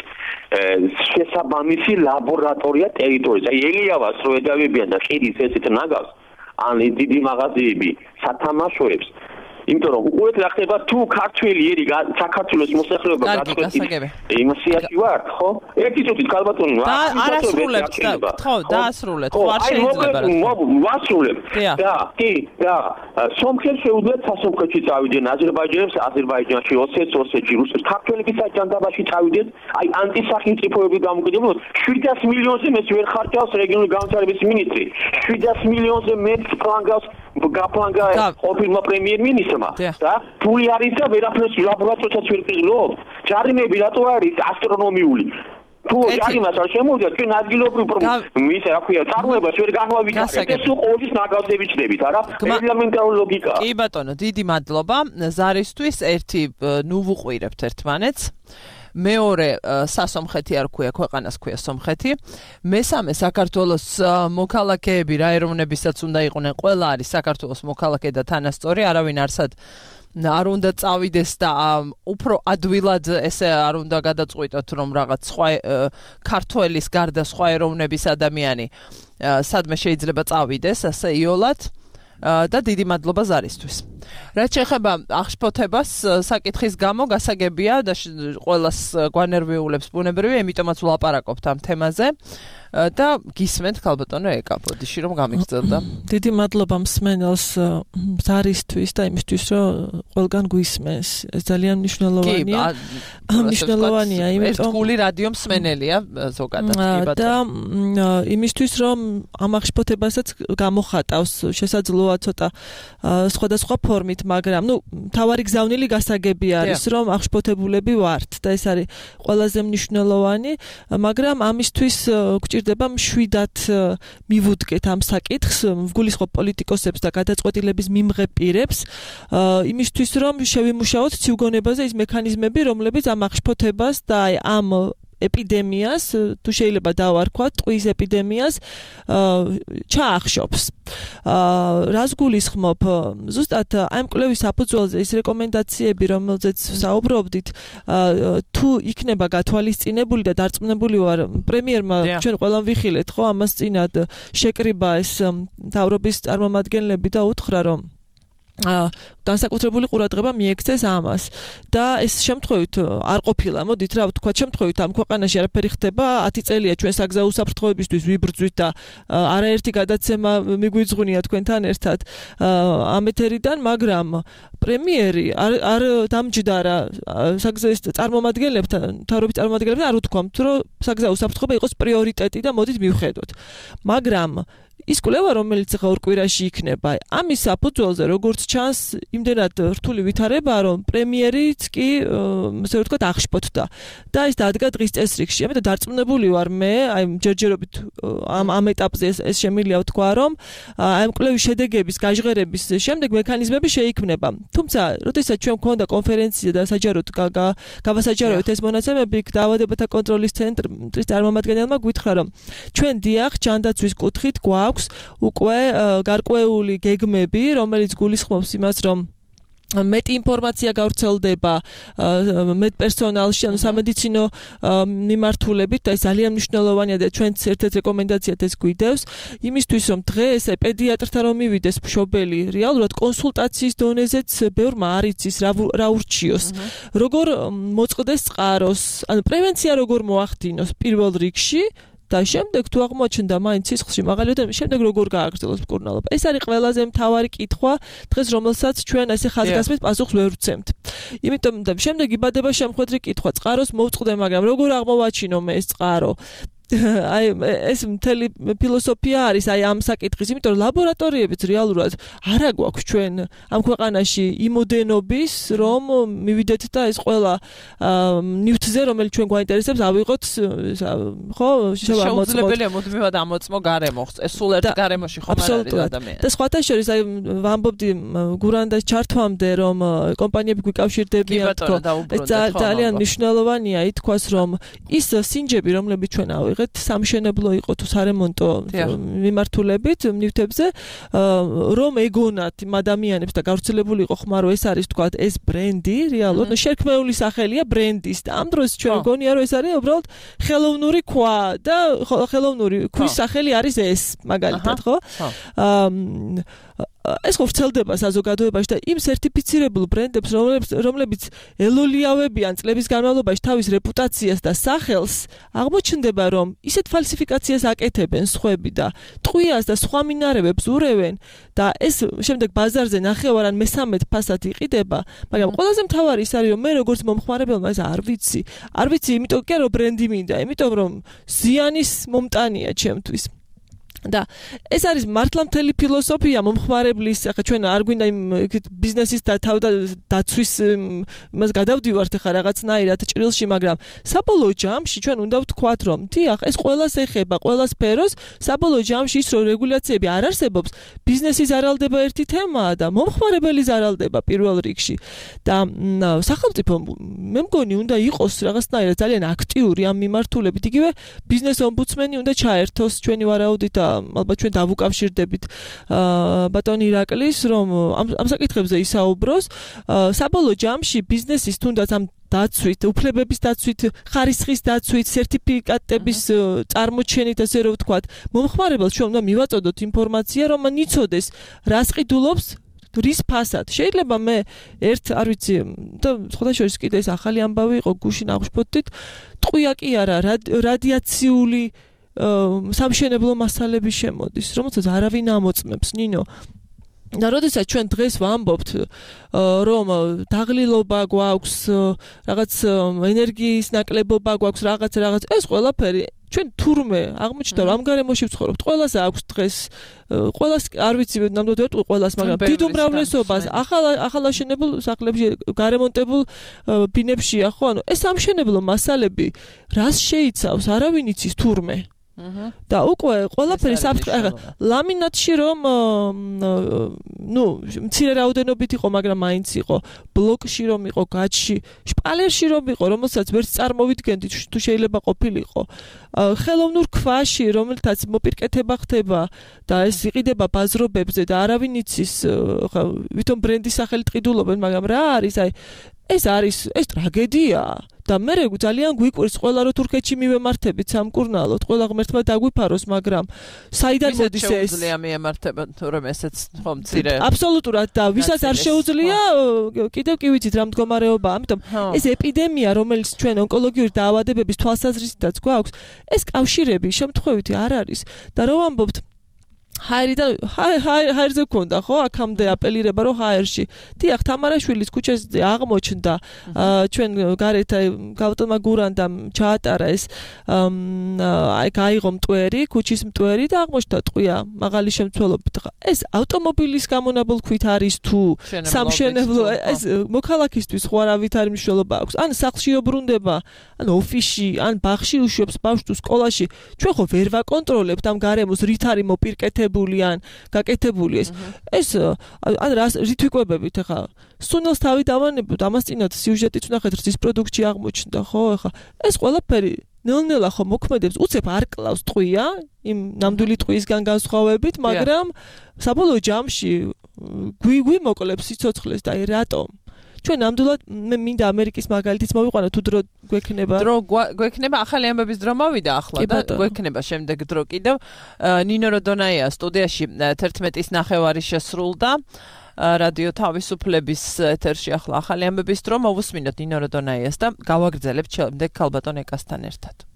შესაბამისი ლაბორატორია ტერიტორიაზე. აი ელიავას რო ედავებიან და ხიდის ესეთ ნაგავს ან დიდი მაღაზიები სათამაშოებს იმიტომ რომ უყურეთ რა ხდება თუ ქართველი ერი საქართველოს მოსახლეობა გაწყვეტს იმასიაში ვარ ხო? ერთი წუთით ქალბატონი არასრულებთ ხო დაასრულეთ ხო არ შეიძლება ვასრულებ და სომხებს შეუძლიათ სასომხეთში წავიდნენ აზერბაიჯანში ოსეთში რუსეთში ქართველების აჯანდაბაში წავიდნენ აი ანტისახელმწიფოები გამოკიდებულნი 700 მილიონზე მეც ვერ ხარჯავს რეგიონული განვითარების მინისტრი 700 მილიონზე მეც ფლანგავს გაფლანგა ყოფილმა პრემიერ-მინისტრმა და ფული არის და ვერაფერს ლაბორატორიასაც ვერ ყიდულობ ჯარიმები რატო არის ასტრონომიული თუ ჯარიმას არ შემოვიდა ჩვენ ადგილობრივ ის რა ქვია წარმოებას ვერ განვავიკავებთ ეს ყოველთვის ნაგავზე ვიჩნდებით არა ელემენტარული ლოგიკა კი ბატონო დიდი მადლობა ზარისთვის ერთი ნუ ვუყვირებთ ერთმანეთს მეორე სასომხეთი არ ქვია ქვეყანას ქვია სომხეთი მესამე საქართველოს მოქალაქეები რა ეროვნებისაც უნდა იყვნენ ყველა არის საქართველოს მოქალაქე და თანასწორი არავინ არსად არ უნდა წავიდეს და უფრო ადვილად ესე არ უნდა გადაწყვიტოთ რომ რაღაც სხვა ქართველის გარდა სხვა ეროვნების ადამიანი სადმე შეიძლება წავიდეს ასე იოლად და დიდი მადლობა ზარისთვის. რაც შეეხება აღშფოთებას საკითხის გამო გასაგებია და ყველას გვანერვიულებს ბუნებრივია, იმიტომაც ვლაპარაკობთ ამ თემაზე და გისმენთ ქალბატონო ეკა ბოდიში რომ გამიგრძელდა. დიდი მადლობა მსმენელს ზარისთვის და იმისთვის რომ ყველგან გვისმენს. ეს ძალიან მნიშვნელოვანია. მნიშვნელოვანია, იმიტომ ერთგული რადიო მსმენელია ზოგადად კი ბატონო. და იმისთვის რომ ამ აღშფოთებასაც გამოხატავს შესაძლოა ცოტა სხვადასხვა ფორმით, მაგრამ თავარი გზავნილი გასაგები არის, რომ აღშფოთებულები ვართ და ეს არის ყველაზე მნიშვნელოვანი, მაგრამ ამისთვის გვჭირდება მშვიდად მივუდგეთ ამ საკითხს, ვგულისხმობ პოლიტიკოსებს და გადაწყვეტილების მიმღებ პირებს, იმისთვის რომ შევიმუშაოთ ციუგონებაზე ის მექანიზმები, რომლებიც ამ აღშფოთებას და ამ ეპიდემიას, თუ შეიძლება დავარქვათ, ტყვის ეპიდემიას ჩაახშობს. რას გულისხმობ? ზუსტად აი ამ კვლევის საფუძველზე ის რეკომენდაციები, რომელზეც საუბრობდით, თუ იქნება გათვალისწინებული და დარწმუნებული ვარ, პრემიერმა ჩვენ ყველამ ვიხილეთ, ხო, ამას წინად შეკრიბა ეს მთავრობის წარმომადგენლები და უთხრა, რომ განსაკუთრებული ყურადღება მიექცეს ამას და ეს შემთხვევით არ ყოფილა, მოდით რა ვთქვა, შემთხვევით ამ ქვეყანაში არაფერი ხდება, 10 წელია ჩვენ საგზაო უსაფრთხოებისთვის ვიბრძვით და არაერთი გადაცემა მიგვიძღვნია თქვენთან ერთად ამ ეთერიდან, მაგრამ პრემიერი არ დამჯდარა საგზაოს წარმომადგენლებთან, მთავრობის წარმომადგენლებთან არ უთქვამთ, რომ საგზაო უსაფრთხოება იყოს პრიორიტეტი და მოდით მივხედოთ. მაგრამ ის კვლევა, რომელიც ხა ორ კვირაში იქნება, ამის საფუძველზე, როგორც ჩანს, იმდენად რთული ვითარებაა, რომ პრემიერიც კი, ასე ვთქვათ, აღშფოთდა. და ის დადგა დღის წესრიგში. ამიტომ დარწმუნებული ვარ მე, აი ჯერჯერობით ამ ეტაპზე ეს შემიძლია ვთქვა, რომ აი ამ კვლევის შედეგების გაჟღერების შემდეგ მექანიზმები შეიქმნება. თუმცა, როდესაც ჩვენ გვქონდა კონფერენცია და საჯაროდ გავასაჯაროეთ ეს მონაცემები, დაავადებათა კონტროლის ცენტრის წარმომადგენელმა გითხრა, რომ ჩვენ დიახ ჯანდაცვის კუთხით გვაქვს უკვე გარკვეული გეგმები, რომელიც გულისხმობს იმას, რომ მეტი ინფორმაცია გავრცელდება მეტ პერსონალში, ანუ სამედიცინო მიმართულებით და ეს ძალიან მნიშვნელოვანია და ჩვენც ერთ-ერთ რეკომენდაციად ეს გვიდევს იმისთვის, რომ დღეს პედიატრთან რომ მივიდეს მშობელი, რეალურად კონსულტაციის დონეზეც ბევრმა არ იცის რა ურჩიოს, როგორ მოწყდეს წყაროს, ანუ პრევენცია როგორ მოახდინოს პირველ რიგში და შემდეგ თუ აღმოჩნდა მაინც სისხლში მაგალითად შემდეგ როგორ გააგრძელოს მკურნალობა. ეს არის ყველაზე მთავარი კითხვა დღეს, რომელსაც ჩვენ ესე ხაზგასმით პასუხს ვერ ვცემთ. იმიტომ და შემდეგ იბადება შემხვედრი კითხვა, წყაროს მოვწყდე, მაგრამ როგორ აღმოვაჩინო მე ეს წყარო? აი ეს მთელი ფილოსოფია არის აი ამ საკითხის, იმიტომ რომ ლაბორატორიებიც რეალურად არა გვაქვს ჩვენ ამ ქვეყანაში იმოდენობის, რომ მივიდეთ და ეს ყველა ნივთზე, რომელიც ჩვენ გვაინტერესებს, ავიღოთ, ხო, შეუძლებელია მუდმივად ამოწმო გარემო, ეს სულ ერთ გარემოში ხომ არ არის ადამიანი. და სხვათა შორის აი ვამბობდი გურანდა ჩართვამდე, რომ კომპანიები გვიკავშირდებიან, თქო, ეს ძალიან მნიშვნელოვანია ითქვას, რომ ის სინჯები, რომლებიც ჩვენ ავიღეთ სამშენებლო იყო თუ სარემონტო მიმართულებით ნივთებზე, რომ ეგონათ იმ ადამიანებს და გავრცელებული იყო ხმა, რომ ეს არის თქვა ეს ბრენდი, რეალურად შერქმეული სახელია ბრენდის და ამ დროს ჩვენ გონია, რომ ეს არის უბრალოდ ხელოვნური ქვა და ხელოვნური ქვის სახელი არის ეს, მაგალითად, ხო? ეს ხო ვრცელდება საზოგადოებაში და იმ სერტიფიცირებულ ბრენდებს, რომლებიც ელოლიავებიან წლების განმავლობაში თავის რეპუტაციას და სახელს, აღმოჩნდება, რომ ისეთ ფალსიფიკაციას აკეთებენ სხვები და ტყვიას და სხვა მინარევებს ურევენ და ეს შემდეგ ბაზარზე ნახევარ ან მესამედ ფასად იყიდება, მაგრამ ყველაზე მთავარი ის არის, რომ მე როგორც მომხმარებელმა ეს არ ვიცი, იმიტომ კი რომ ბრენდი მინდა, იმიტომ რომ ზიანის მომტანია ჩემთვის. და ეს არის მართლა მთელი ფილოსოფია მომხმარებლის, ახლა ჩვენ არ გვინდა იმ ბიზნესის და თავდაცვის იმას გადავდივართ ახლა რაღაცნაირად ჭრილში, მაგრამ საბოლოო ჯამში ჩვენ უნდა ვთქვათ, რომ დიახ, ეს ყველას ეხება, ყველა სფეროს, საბოლოო ჯამში ის რომ რეგულაციები არ არსებობს, ბიზნესი ზარალდება ერთი თემაა და მომხმარებელი ზარალდება პირველ რიგში. და სახელმწიფო მე მგონი უნდა იყოს რაღაცნაირად ძალიან აქტიური ამ მიმართულებით, იგივე ბიზნეს ომბუდსმენი უნდა ჩაერთოს ჩვენი ვარაუდით და ალბათ ჩვენ დავუკავშირდებით ბატონი ირაკლის, რომ ამ საკითხებზე ისაუბროს. საბოლოო ჯამში ბიზნესის თუნდაც ამ დაცვით, უფლებების დაცვით, ხარისხის დაცვით, სერტიფიკატების წარმოჩენით, ასე რომ ვთქვათ, მომხმარებელს ჩვენ უნდა მივაწოდოთ ინფორმაცია, რომ მან იცოდეს, რას ყიდულობს, რის ფასად. შეიძლება მე არ ვიცი, და სხვა შორის კიდე ეს ახალი ამბავი იყო, გუშინ აღშფოთდით, ტყვია კი არა, რადიაციული სამშენებლო მასალები შემოდის, რომელსაც არავინ ამოწმებს, ნინო. და როდესაც ჩვენ დღეს ვამბობთ, რომ დაღლილობა გვაქვს, რაღაც ენერგიის ნაკლებობა გვაქვს, რაღაც, ეს ყველაფერი ჩვენ თურმე აღმოჩნდა, რომ ამ გარემოში ვცხოვრობთ, ყველას აქვს დღეს, ყველას არ ვიცი, ნამდვილად ვერ ვიტყვი ყველას, მაგრამ დიდ უმრავლესობას ახალაშენებულ სახლებში, გარემონტებულ ბინებშია, ხო? ანუ ეს სამშენებლო მასალები რას შეიცავს, არავინ იცის თურმე. და უკვე ყველაფერი ლამინატში რომ მცირე რაოდენობით იყო, მაგრამ მაინც იყო ბლოკში რომ იყო, გაჩში, შპალერში რომ იყო, რომელსაც ვერც წარმოვიდგენდით თუ შეიძლება ყოფილიყო. ხელოვნურ ქვაში, რომელთაც მოპირკეთება ხდება და ეს იყიდება ბაზრობებზე და არავინ იცის, ვითომ ბრენდის სახელით ყიდულობენ, მაგრამ რა არის, ეს ტრაგედიაა. და მე ძალიან გვიკვირს ყველა რო თურქეთში მივემართებით სამკურნალოდ, ყველა ღმერთმა დაგვიფაროს, მაგრამ საიდან მოდის ეს? შეუძლია მიემართება, თორემ ესეც ხომ მცირე. აბსოლუტურად და ვისაც არ შეუძლია, კიდევ კი ვიცით რა მდგომარეობაა, ამიტომ ეს ეპიდემია, რომელიც ჩვენ ონკოლოგიური დაავადებების თვალსაზრისითაც გვაქვს, ეს კავშირები შემთხვევითი არ არის და რო ვამბობთ ჰაერზე გქონდა ხო აქამდე აპელირება რომ ჰაერში დიახ თამარაშვილის ქუჩაზე აღმოჩნდა ჩვენ გარეთ გავტომა გურანდამ ჩაატარა ეს გაიღო მტვერი ქუჩის მტვერი და აღმოჩნდა ტყვია მაღალი შემცველობით ეს ავტომობილის გამონაბოლ ქვით არის თუ სამშენებლო ეს მოქალაქისთვის ხო არავითარი მნიშვნელობა აქვს ან სახლში ობრუნდება ან ოფისში ან ბაღში უშვებს ბავშვს თუ სკოლაში ჩვენ ხო ვერ ვაკონტროლებთ ამ გარემოს რით არის მოპირკეთებული ან გაკეთებული ეს ან რით ვიკვებებით ახლა სუნელს თავი დავანებოთ ამას წინათ სიუჟეტიც ვნახეთ რძის პროდუქტში აღმოჩნდა ხო ახლა ეს ყველაფერი ნელ-ნელა ხო მოქმედებს უცებ არ კლავს ტყვია იმ ნამდვილი ტყვიისგან განსხვავებით მაგრამ საბოლოო ჯამში გვიმოკლებს სიცოცხლეს და რატომ ჩვენ ნამდვილად მე მინდა ამერიკის მაგალითიც მოვიყვანო თუ დრო გვექნება დრო გვექნება ახალი ამბების დრო მოვიდა ახლა და გვექნება შემდეგ დრო კიდევ ნინო როდონაია სტუდიაში 11-ის ნახევარი შესრულდა რადიო თავისუფლების ეთერში ახლა ახალი ამბების დრო მოვუსმინოთ ნინო როდონაიას და გავაგრძელებთ შემდეგ ქალბატონ ეკასთან ერთად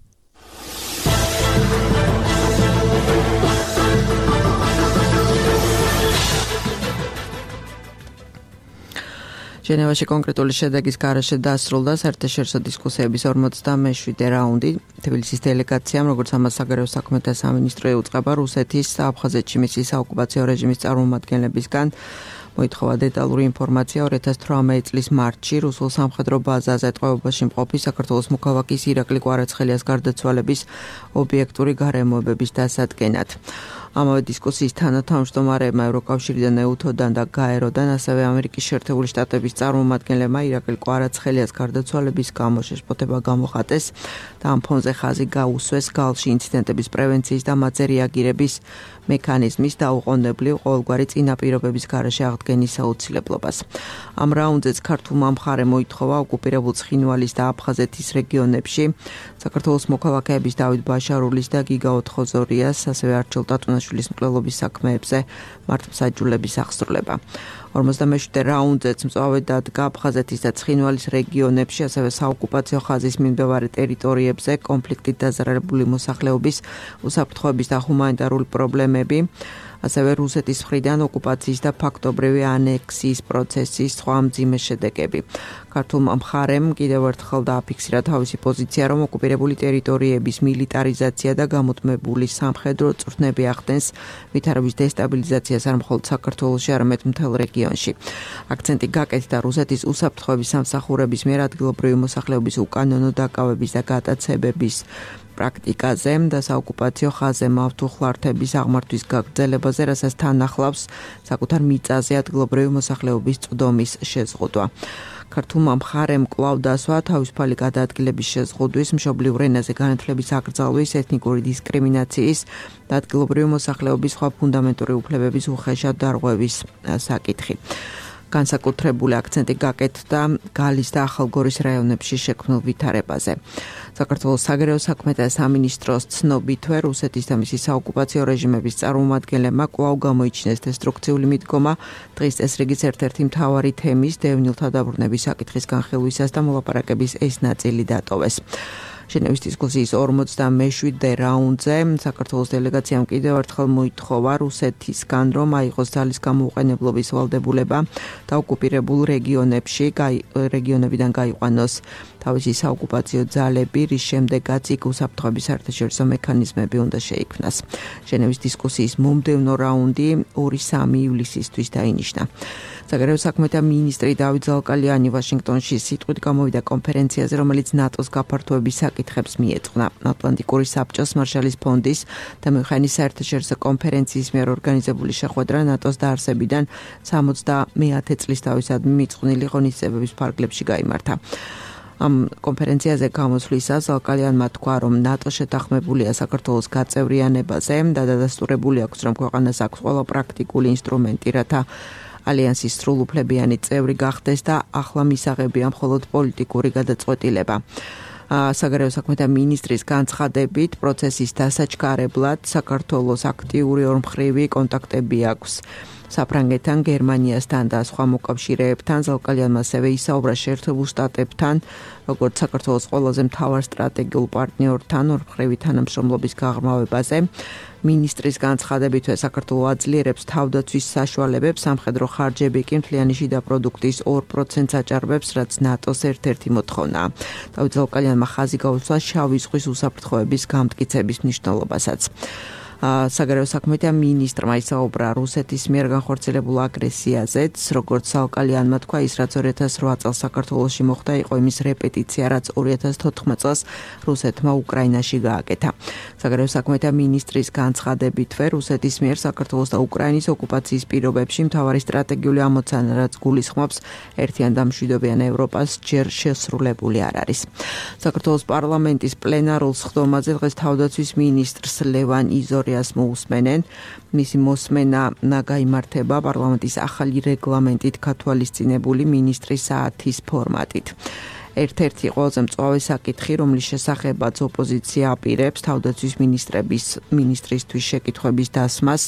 ჟენევაში კონკრეტული შედეგის გარეშე დასრულდა საერთაშორისო დისკუსიების 47-ე რაუნდი. თბილისის დელეგაციამ, როგორც ამას საგარეო საქმეთა სამინისტრო ეუწყება რუსეთის აფხაზეთში მისი საოკუპაციო რეჟიმის წარმომადგენლებისგან მოითხოვა დეტალური ინფორმაცია 2018 წლის მარტში რუსულ სამხედრო ბაზაზე ტყვეობაში მყოფი საქართველოს მოქალაქის ირაკლი კვარაცხელიას გარდაცვალების ობიექტური გარემოებების დასადგენად. ამავე დისკუსიის თანათავმჯდომარეებმა ევროკავშირიდან ეუთოდან და გაეროდან ასევე ამერიკის შეერთებული შტატების წარმომადგენლებმა ირაკლი კვარაცხელიას გარდაცვალების გამო შეშფოთება გამოხატეს და ამ ფონზე ხაზი გაუსვეს გალში ინციდენტების პრევენციის და მათზე რეაგირების მექანიზმის დაუყოვნებლივ ყოველგვარი წინაპირობების გარეშე აღდგენის აუცილებლობას. ამ რაუნდზეც ქართულმა მხარემ მოითხოვა ოკუპირებულ ცხინვალის და აფხაზეთის რეგიონებში საქართველოს მოქალაქეების დავით ბაშარულის და გიგა ოთხოზორიას, ასევე არჩილ ტატუნაშვილის მკვლელობის საქმეებზე მართლმსაჯულების აღსრულება. 47-ე რაუნდზეც მწვავედ დადგა აფხაზეთის და ცხინვალის რეგიონებში, ასევე საოკუპაციო ხაზის მიმდებარე ტერიტორიებზე კონფლიქტით დაზარალებული მოსახლეობის უსაფრთხოების და ჰუმანიტარული პრობლემები, ასევე რუსეთის მხრიდან ოკუპაციის და ფაქტობრივი ანექსიის პროცესის სხვა მძიმე შედეგები. ქართულმა მხარემ კიდევ ერთხელ დააფიქსირა თავისი პოზიცია, რომ ოკუპირებული ტერიტორიების მილიტარიზაცია და გამუდმებული სამხედრო წვრთნები ახდენს ვითარების დესტაბილიზაციას არ მხოლოდ საქართველოში, არამედ მთელ რეგიონში. აქცენტი გაკეთდა რუსეთის უსაფრთხოების სამსახურების მიერ ადგილობრივი მოსახლეობის უკანონო დაკავების და გატაცებების პრაქტიკაზე და საოკუპაციო ხაზზე მავთუხლართების აღმართვის გაგრძელებაზე, რასაც თან ახლავს საკუთარ მიწაზე ადგილობრივი მოსახლეობის წვდომის შეზღუდვა. ქართულმა მხარემ კვლავ დასვა თავისუფალი გადაადგილების შეზღუდვის, მშობლიურ ენაზე განათლების აკრძალვის, ეთნიკური დისკრიმინაციის და ადგილობრივი მოსახლეობის სხვა ფუნდამენტური უფლებების უხეშად დარღვევის საკითხი. განსაკუთრებული აქცენტი გაკეთდა გალის და ახალგორის რაიონებში შექმნილ ვითარებაზე. საქართველოს საგარეო საქმეთა სამინისტროს ცნობითვე რუსეთის და მისი საოკუპაციო რეჟიმების წარმომადგენლებმა კვლავ გამოიჩინეს დესტრუქციული მიდგომა დღის წესრიგის ერთ-ერთი მთავარი თემის დევნილთა დაბრუნების საკითხის განხილვისას და მოლაპარაკების ეს ნაწილი დატოვეს. ჟენევის დისკუსიის 47-ე რაუნდზე საქართველოს დელეგაციამ კიდევ ერთხელ მოითხოვა რუსეთისგან, რომ აიღოს ძალის გამოუყენებლობის ვალდებულება და ოკუპირებულ რეგიონებიდან გაიყვანოს თავისი საოკუპაციო ძალები, რის შემდეგაც იქ უსაფრთხოების საერთაშორისო მექანიზმები უნდა შეიქმნას. ჟენევის დისკუსიის მომდევნო რაუნდი 2-3 ივლისისთვის დაინიშნა. საგარეო საქმეთა მინისტრი დავით ზალკალიანი ვაშინგტონში სიტყვით გამოვიდა კონფერენციაზე, რომელიც ნატოს გაფართოების საკითხებს მიეძღვნა. ატლანტიკური საბჭოს მარშალის ფონდის და მუნხენის საერთაშორისო კონფერენციის მიერ ორგანიზებული შეხვედრა ნატოს დაარსებიდან 70 წლის თავისადმი მიწყვნილი ღონისძიებების ფარგლებში გაიმართა. ამ კონფერენციაზე გამოსვლისას ალკალიანმა თქვა, რომ ნატო შეთანხმებულია საქართველოს გაწევრიანებაზე და დადასტურებული აქვს, რომ ქვეყანას აქვს ყველა პრაქტიკული ინსტრუმენტი, რათა ალიანსის სრულუფლებიანი წევრი გახდეს და ახლა მისაღებია მხოლოდ პოლიტიკური გადაწყვეტილება. საგარეო საქმეთა მინისტრის განცხადებით, პროცესის დასაჩქარებლად საქართველოს აქტიური ორმხრივი კონტაქტები აქვს საფრანგეთთან, გერმანიასთან და სხვა მოკავშირეებთან. ზალკალიანმა ასევე ისაუბრა შეერთებულ შტატებთან, როგორც საქართველოს ყველაზე მთავარ სტრატეგიულ პარტნიორთან ორმხრივი თანამშრომლობის გაღრმავებაზე. მინისტრის განცხადებით, საქართველო აძლიერებს თავდაცვის საშუალებებს, სამხედრო ხარჯები კი მთლიანი შიდა პროდუქტის 2%-ს აჭარბებს, რაც ნატოს ერთ-ერთი მოთხოვნაა. დავით ზალკალიანმა ხაზი გაუსვა შავი ზღვის უსაფრთხოების გამტკიცების მნიშვნელობასაც. საგარეო საქმეთა მინისტრმა ისაუბრა რუსეთის მიერ განხორციელებულ აგრესიაზეც, როგორც ზალკალიანმა თქვა, ის რაც 2008 წელს საქართველოში მოხდა, იყო იმის რეპეტიცია, რაც 2014 წელს რუსეთმა უკრაინაში გააკეთა. საგარეო საქმეთა მინისტრის განცხადებითვე, რუსეთის მიერ საქართველოს და უკრაინის ოკუპაციის პირობებში მთავარი სტრატეგიული ამოცანა, რაც გულისხმობს ერთიან და მშვიდობიან ევროპას, ჯერ შესრულებული არ არის. საქართველოს პარლამენტის პლენარულ სხდომაზე დღეს თავდაცვის მინისტრს ლევან იზორიას მოусმენენ. მისი მოსმენა გაიმართება პარლამენტის ახალი რეგლამენტით გათვალისწინებული მინისტრის საათის ფორმატით. ერთ-ერთი ყველაზე მწვავე საკითხი, რომლის შესახებაც ოპოზიცია აპირებს თავდაცვის მინისტრისთვის შეკითხვების დასმას,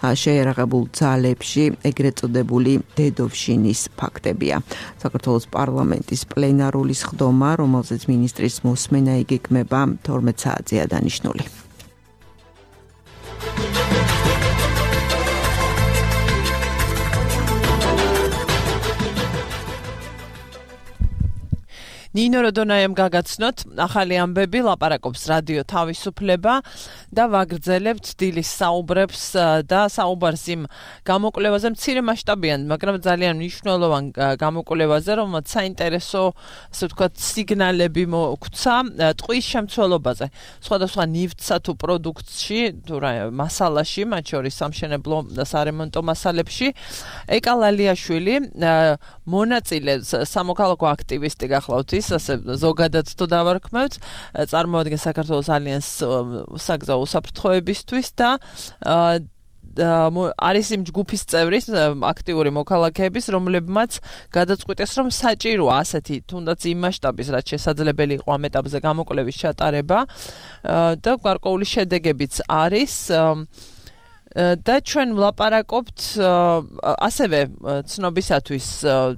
შეერაღებულ ძალებში ეგრეთ წოდებული დედოვშინის ფაქტებია. საქართველოს პარლამენტის პლენარული სხდომა, რომელზეც მინისტრის მოსმენა იგეგმება 12 საათზეა დანიშნული. ნინო როდონაიამ გაგაცნოთ ახალი ამბები, ლაპარაკობს რადიო თავისუფლება და ვაგრძელებთ დილის საუბრებს და საუბარს იმ გამოკვლევაზე, მცირე მასშტაბიან, მაგრამ ძალიან მნიშვნელოვან გამოკვლევაზე, რომელსაც საინტერესო, ასე ვთქვათ, სიგნალები მოგვცა ტყვის შემცველობაზე. სხვადასხვა ნივთსა თუ პროდუქტში, თუ მასალაში, მათ შორის სამშენებლო და სარემონტო მასალებში, ეკა ლალიაშვილი, მონაწილე სამოქალაქო აქტივისტი გახლავთ ის, ასე ზოგადად თუ დავარქმევთ, წარმოადგენს საქართველოს ალიანსს საგზაო უსაფრთხოებისთვის და არის იმ ჯგუფის წევრი, აქტიური მოქალაქეების, რომლებმაც გადაწყვიტეს, რომ საჭიროა ასეთი თუნდაც იმ მასშტაბის, რაც შესაძლებელი იყო ამ ეტაპზე გამოკვლევის ჩატარება და გარკვეული შედეგებიც არის. და ჩვენ ვლაპარაკობთ ასევე ცნობისათვის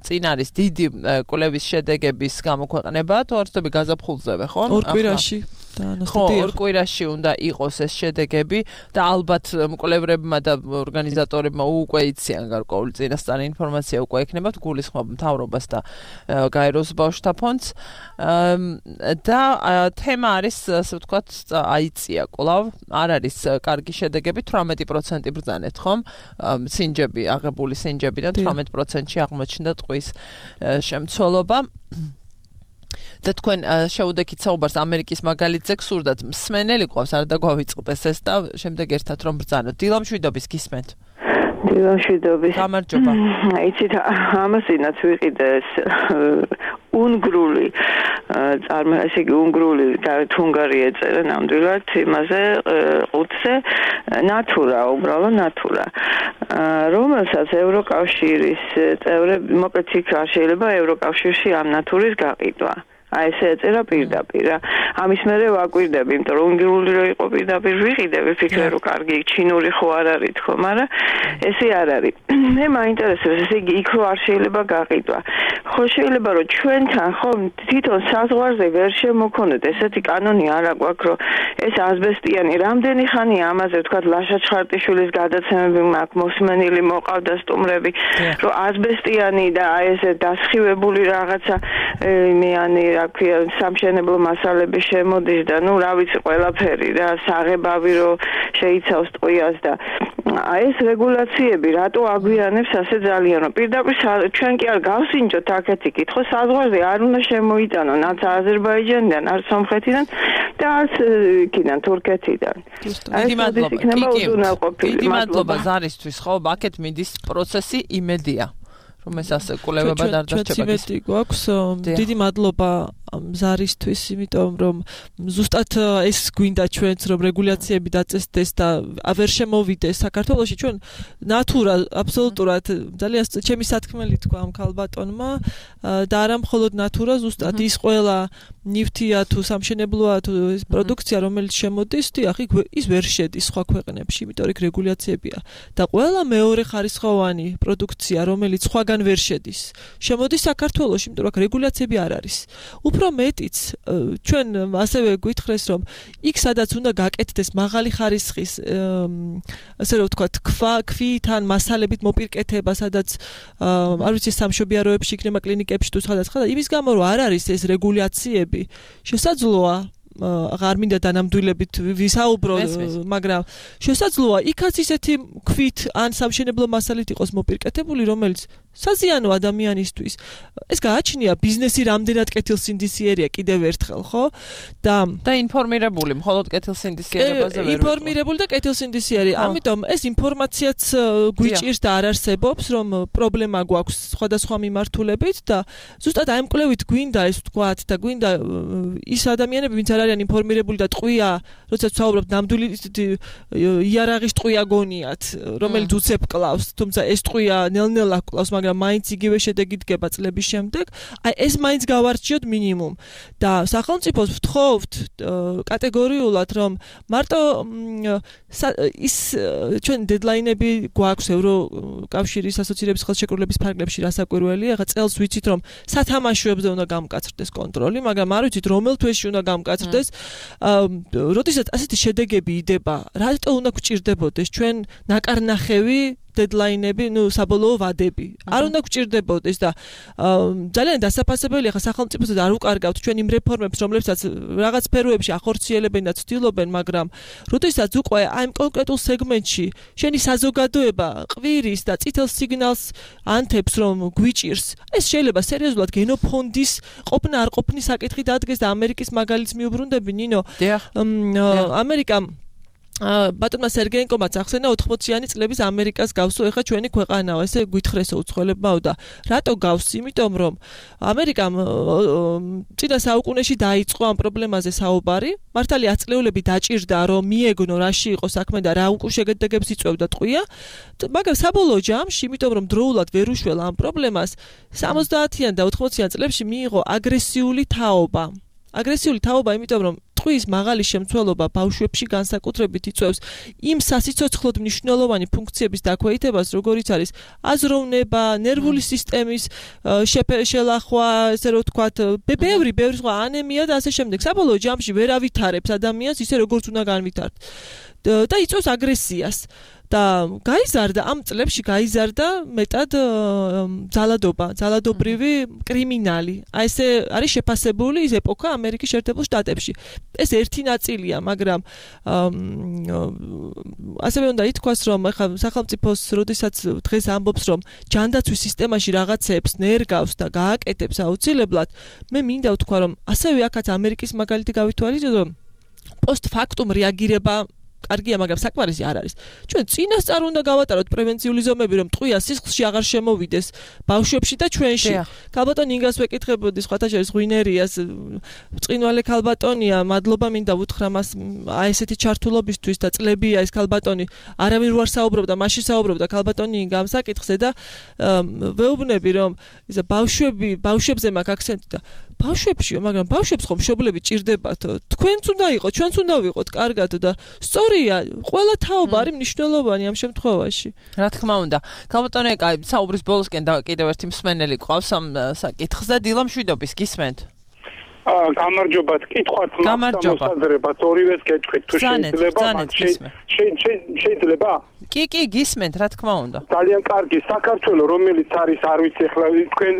წინ არის დიდი კვლევის შედეგების გამოქვეყნება, თუ არსები გაზაფხულზევე, ხო? ორ კვირაში. ორ კვირაში უნდა იყოს ეს შედეგები და ალბათ მკვლევრებმა და ორგანიზატორებმა უკვე იციან გარკვეული წინასწარი ინფორმაცია უკვე ექნებათ, გულისხმობ მთავრობას და გაეროს ბავშვთა ფონდს და თემა არის, ასე ვთქვათ, აიწია კვლავ, არ არის კარგი შედეგები, 18% ბრძანეთ, ხომ? სინჯები, აღებული სინჯებიდან 18%-ში აღმოჩნდა ტყვის შემცველობა. და თქვენ შეუდექით საუბარს ამერიკის მაგალითზე გსურდათ, მსმენელი ყავს, არ დაგვავიწყდეს ეს და შემდეგ ერთად რომ ბრძანოთ. დილამშვიდობის გისმენთ. დილამშვიდობის. გამარჯობა. იცით, ამასინაც ვიყიდე ეს უნგრული ესე იგი უნგრული თუნგარი ეწერა ნამდვილად იმაზე ყუთზე ნატურა, უბრალოდ ნატურა. რომელსაც ევროკავშირის წევრები, მოკლედ იქ არ შეიძლება ევროკავშირში ამ ნატურის გაყიდვა. აი ესე ეწერა პირდაპირ. ამის მერე ვაკვირდები, იმიტომ რომ უნგრული რო იყო პირდაპირ ვიყიდე, ვიფიქრე რომ კარგი ჩინური ხო არ არის თქო, მაგრამ ესე არ არის. მე მაინტერესებს, ესე იგი იქ რო არ შეიძლება გაყიდვა. ხო შეიძლება რომ ჩვენთან ხო თვითონ საზღვარზე ვერ შემოქონოთ ესეთი კანონი არა გვაქვს, რომ ეს ასბესტიანი რამდენი ხანია ამაზე თქვა ლაშა ჩხარტიშვილის გადაცემები მაქვს მოსმენილი მოყავდა სტუმრები, რომ ასბესტიანი და აი ესე დასხივებული რაღაცა იმიანი რა ქვია სამშენებლო მასალები შემოდის და ნუ რა ვიცი ყველაფერი რა საღებავი რო შეიცავს ტყვიას და ეს რეგულაციები რატო აგვიანებს ასე ძალიან რომ პირდაპირ ჩვენ კი არ გავსინჯოთ აქეთი კითხვა საზღვარზე არ უნდა შემოიტანონ არც აზერბაიჯანიდან არც სომხეთიდან და არც იქიდან თურქეთიდან დიდი მადლობა ზარისთვის ხო აქეთ მიდის პროცესი იმედია რომ ეს ასე კვლევება დარჩება გვაქვს დიდი მადლობა ზარისთვის იმიტომ რომ ზუსტად ეს გვინდა ჩვენც რომ რეგულაციები დაწესდეს და ვერ შემოვიდეს საქართველოში ჩვენ ნატურა აბსოლუტურად ძალიან ჩემი სათქმელი თქვა ამ ქალბატონმა და არა მხოლოდ ნატურა ზუსტად ის ყველა ნივთია თუ სამშენებლოა თუ ეს პროდუქცია რომელიც შემოდის დიახ ის ვერ შედის სხვა ქვეყნებში იმიტომ რომ რეგულაციებია და ყველა მეორე ხარისხოვანი პროდუქცია რომელიც სხვაგან ვერ შედის შემოდის საქართველოში იმიტომ რომ რეგულაციები არ არის უფრო მეტიც ჩვენ ასევე გვითხრეს რომ იქ სადაც უნდა გაკეთდეს მაღალი ხარისხის ასე რომ ვთქვათ ქვით ან მასალებით მოპირკეთება სადაც არ ვიცი სამშობიაროებში იქნება კლინიკებში თუ სხვადასხვა იმის გამო რომ არ არის ეს რეგულაციები შესაძლოა აღარ მინდა დანამდვილებით ვისაუბრო მაგრამ შესაძლოა იქაც ისეთი ქვით ან სამშენებლო მასალით იყოს მოპირკეთებული რომელიც საზიანო ადამიანისთვის ეს გააჩნია ბიზნესი რამდენად კეთილსინდისიერია კიდევ ერთხელ ხო და ინფორმირებული მხოლოდ კეთილსინდისიერებაზე ვერ ინფორმირებული და კეთილსინდისიერი ამიტომ ეს ინფორმაციაც გვიჭირს და არ არსებობს რომ პრობლემა გვაქვს სხვადასხვა მიმართულებით და ზუსტად აი მკვლევით გვინდა ეს ვთქვათ და გვინდა ის ადამიანები ვინც არ არიან ინფორმირებული და ტყვია როცა ვსაუბრობთ ნამდვილი იარაღის ტყვია გონიათ რომელიც უცებ კლავს თუმცა ეს ტყვია ნელ-ნელა კლავს მაგრამ მაინც იგივე შედეგი დგება წლების შემდეგ აი ეს მაინც გავარჩიოთ მინიმუმ და სახელმწიფოს ვთხოვთ კატეგორიულად რომ მარტო ის ჩვენ დედლაინები გვაქვს ევროკავშირის ასოცირების ხელშეკრულების ფარგლებში რასაკვირველია ახლა წელს ვიცით რომ სათამაშოებზე უნდა გამკაცრდეს კონტროლი მაგრამ არ ვიცით რომელ თვეში უნდა გამკაცრდეს როდესაც ასეთი შედეგები იდება რატო უნდა გვჭირდებოდეს ჩვენ ნაკარნახევი დედლაინები, საბოლოო ვადები. არ უნდა გვჭირდებოდეს და ძალიან დასაფასებელია ხა სახელმწიფოსაც არ უკარგავთ ჩვენ იმ რეფორმებს, რომლებსაც რაღაც სფეროებში ახორციელებენ და ცდილობენ, მაგრამ როდესაც უკვე აი ამ კონკრეტულ სეგმენტში შენი საზოგადოება ყვირის და წითელ სიგნალს ანთებს, რომ გვიჭირს, ეს შეიძლება სერიოზულად გენოფონდის ყოფნა არ ყოფნის საკითხი დადგეს და ამერიკის მაგალითს მიუბრუნდები, ნინო. ამერიკა ბატონმა სერგეენკომაც ახსენა 80-იანი წლების ამერიკას გავსო ეხა ჩვენი ქვეყანაა ესე გვითხრესო უცხოელებმაო და რატო გავს იმიტომ რომ ამერიკამ წინა საუკუნეში დაიწყო ამ პრობლემაზე საუბარი მართალია აწლეულები დაჭირდა რომ მიეგნო რაში იყო საქმე და რა უკუშედეგებს იწვევდა ტყვია მაგრამ საბოლოო ჯამში იმიტომ რომ დროულად ვერ უშველა ამ პრობლემას 70-იან და 80-იან წლებში მიიღო აგრესიული თაობა იმიტომ რომ ტყვის მაღალი შემცველობა ბავშვებში განსაკუთრებით იწვევს იმ სასიცოცხლოდ მნიშვნელოვანი ფუნქციების დაქვეითებას, როგორიც არის აზროვნება, ნერვული სისტემის შელახვა, ესე რომ ვთქვათ, ბევრი სხვა ანემია და ასე შემდეგ. საბოლოო ჯამში ვერ ავითარებს ადამიანს ისე როგორც უნდა განვითარდეს. და იწვევს აგრესიას. და გაიზარდა ამ წლებში მეტად ძალადობრივი კრიმინალი. აი ესე არის შეფასებული ის ეპოქა ამერიკის შეერთებულ შტატებში. ეს ერთი ნაწილია, მაგრამ ასევე უნდა ითქვას, რომ ახლა სახელმწიფოს როდესაც დღეს ამბობს, რომ ჯანდაცვის სისტემაში რაღაცებს ნერგავს და გააკეთებს აუცილებლად, მე მინდა ვთქვა, რომ ასევე აქაც ამერიკის მაგალითი გავითვალისწინოთ, რომ პოსტფაქტუმ რეაგირება კარგია, მაგრამ საკმარისი არ არის. ჩვენ წინასწარ უნდა გავატაროთ პრევენციული ზომები, რომ ტყვია სისხლში აღარ შემოვიდეს ბავშვებში და ჩვენში. ქალბატონი ინგას ვეკითხებოდი, სხვათა შორის ღვინერიას, წინვალე ქალბატონია, მადლობა მინდა ვუთხრა მას აი ესეთი ჩართულობისთვის და წლებია ეს ქალბატონი, არავინ რო არ საუბრობდა, მაშინ საუბრობდა ქალბატონი ინგა ამ საკითხზე და ვეუბნები, რომ ისა ბავშვებზე მაქვს აქცენტი და ბავშვებშიო, მაგრამ ბავშვებს ხომ მშობლები ჭირდებათ. თქვენც უნდა იყოთ, ჩვენც უნდა ვიყოთ კარგად და სწორია, ყველა თაობა არის მნიშვნელოვანი ამ შემთხვევაში. რა თქმა უნდა. ქალბატონი, აი, საუბრის ბოლოსკენ და კიდევ ერთი მსმენელი ყავს ამ საკითხზე, დილა მშვიდობის გისმენთ. გამარჯობათ, კითხვათ მოსაზრებათ, ორივეს გეტყვით თუ შეიძლება. შეიძლება? კი, გისმენთ, რა თქმა უნდა. ძალიან კარგი, საქართველო, რომელიც არის, არ ვიცი, ახლა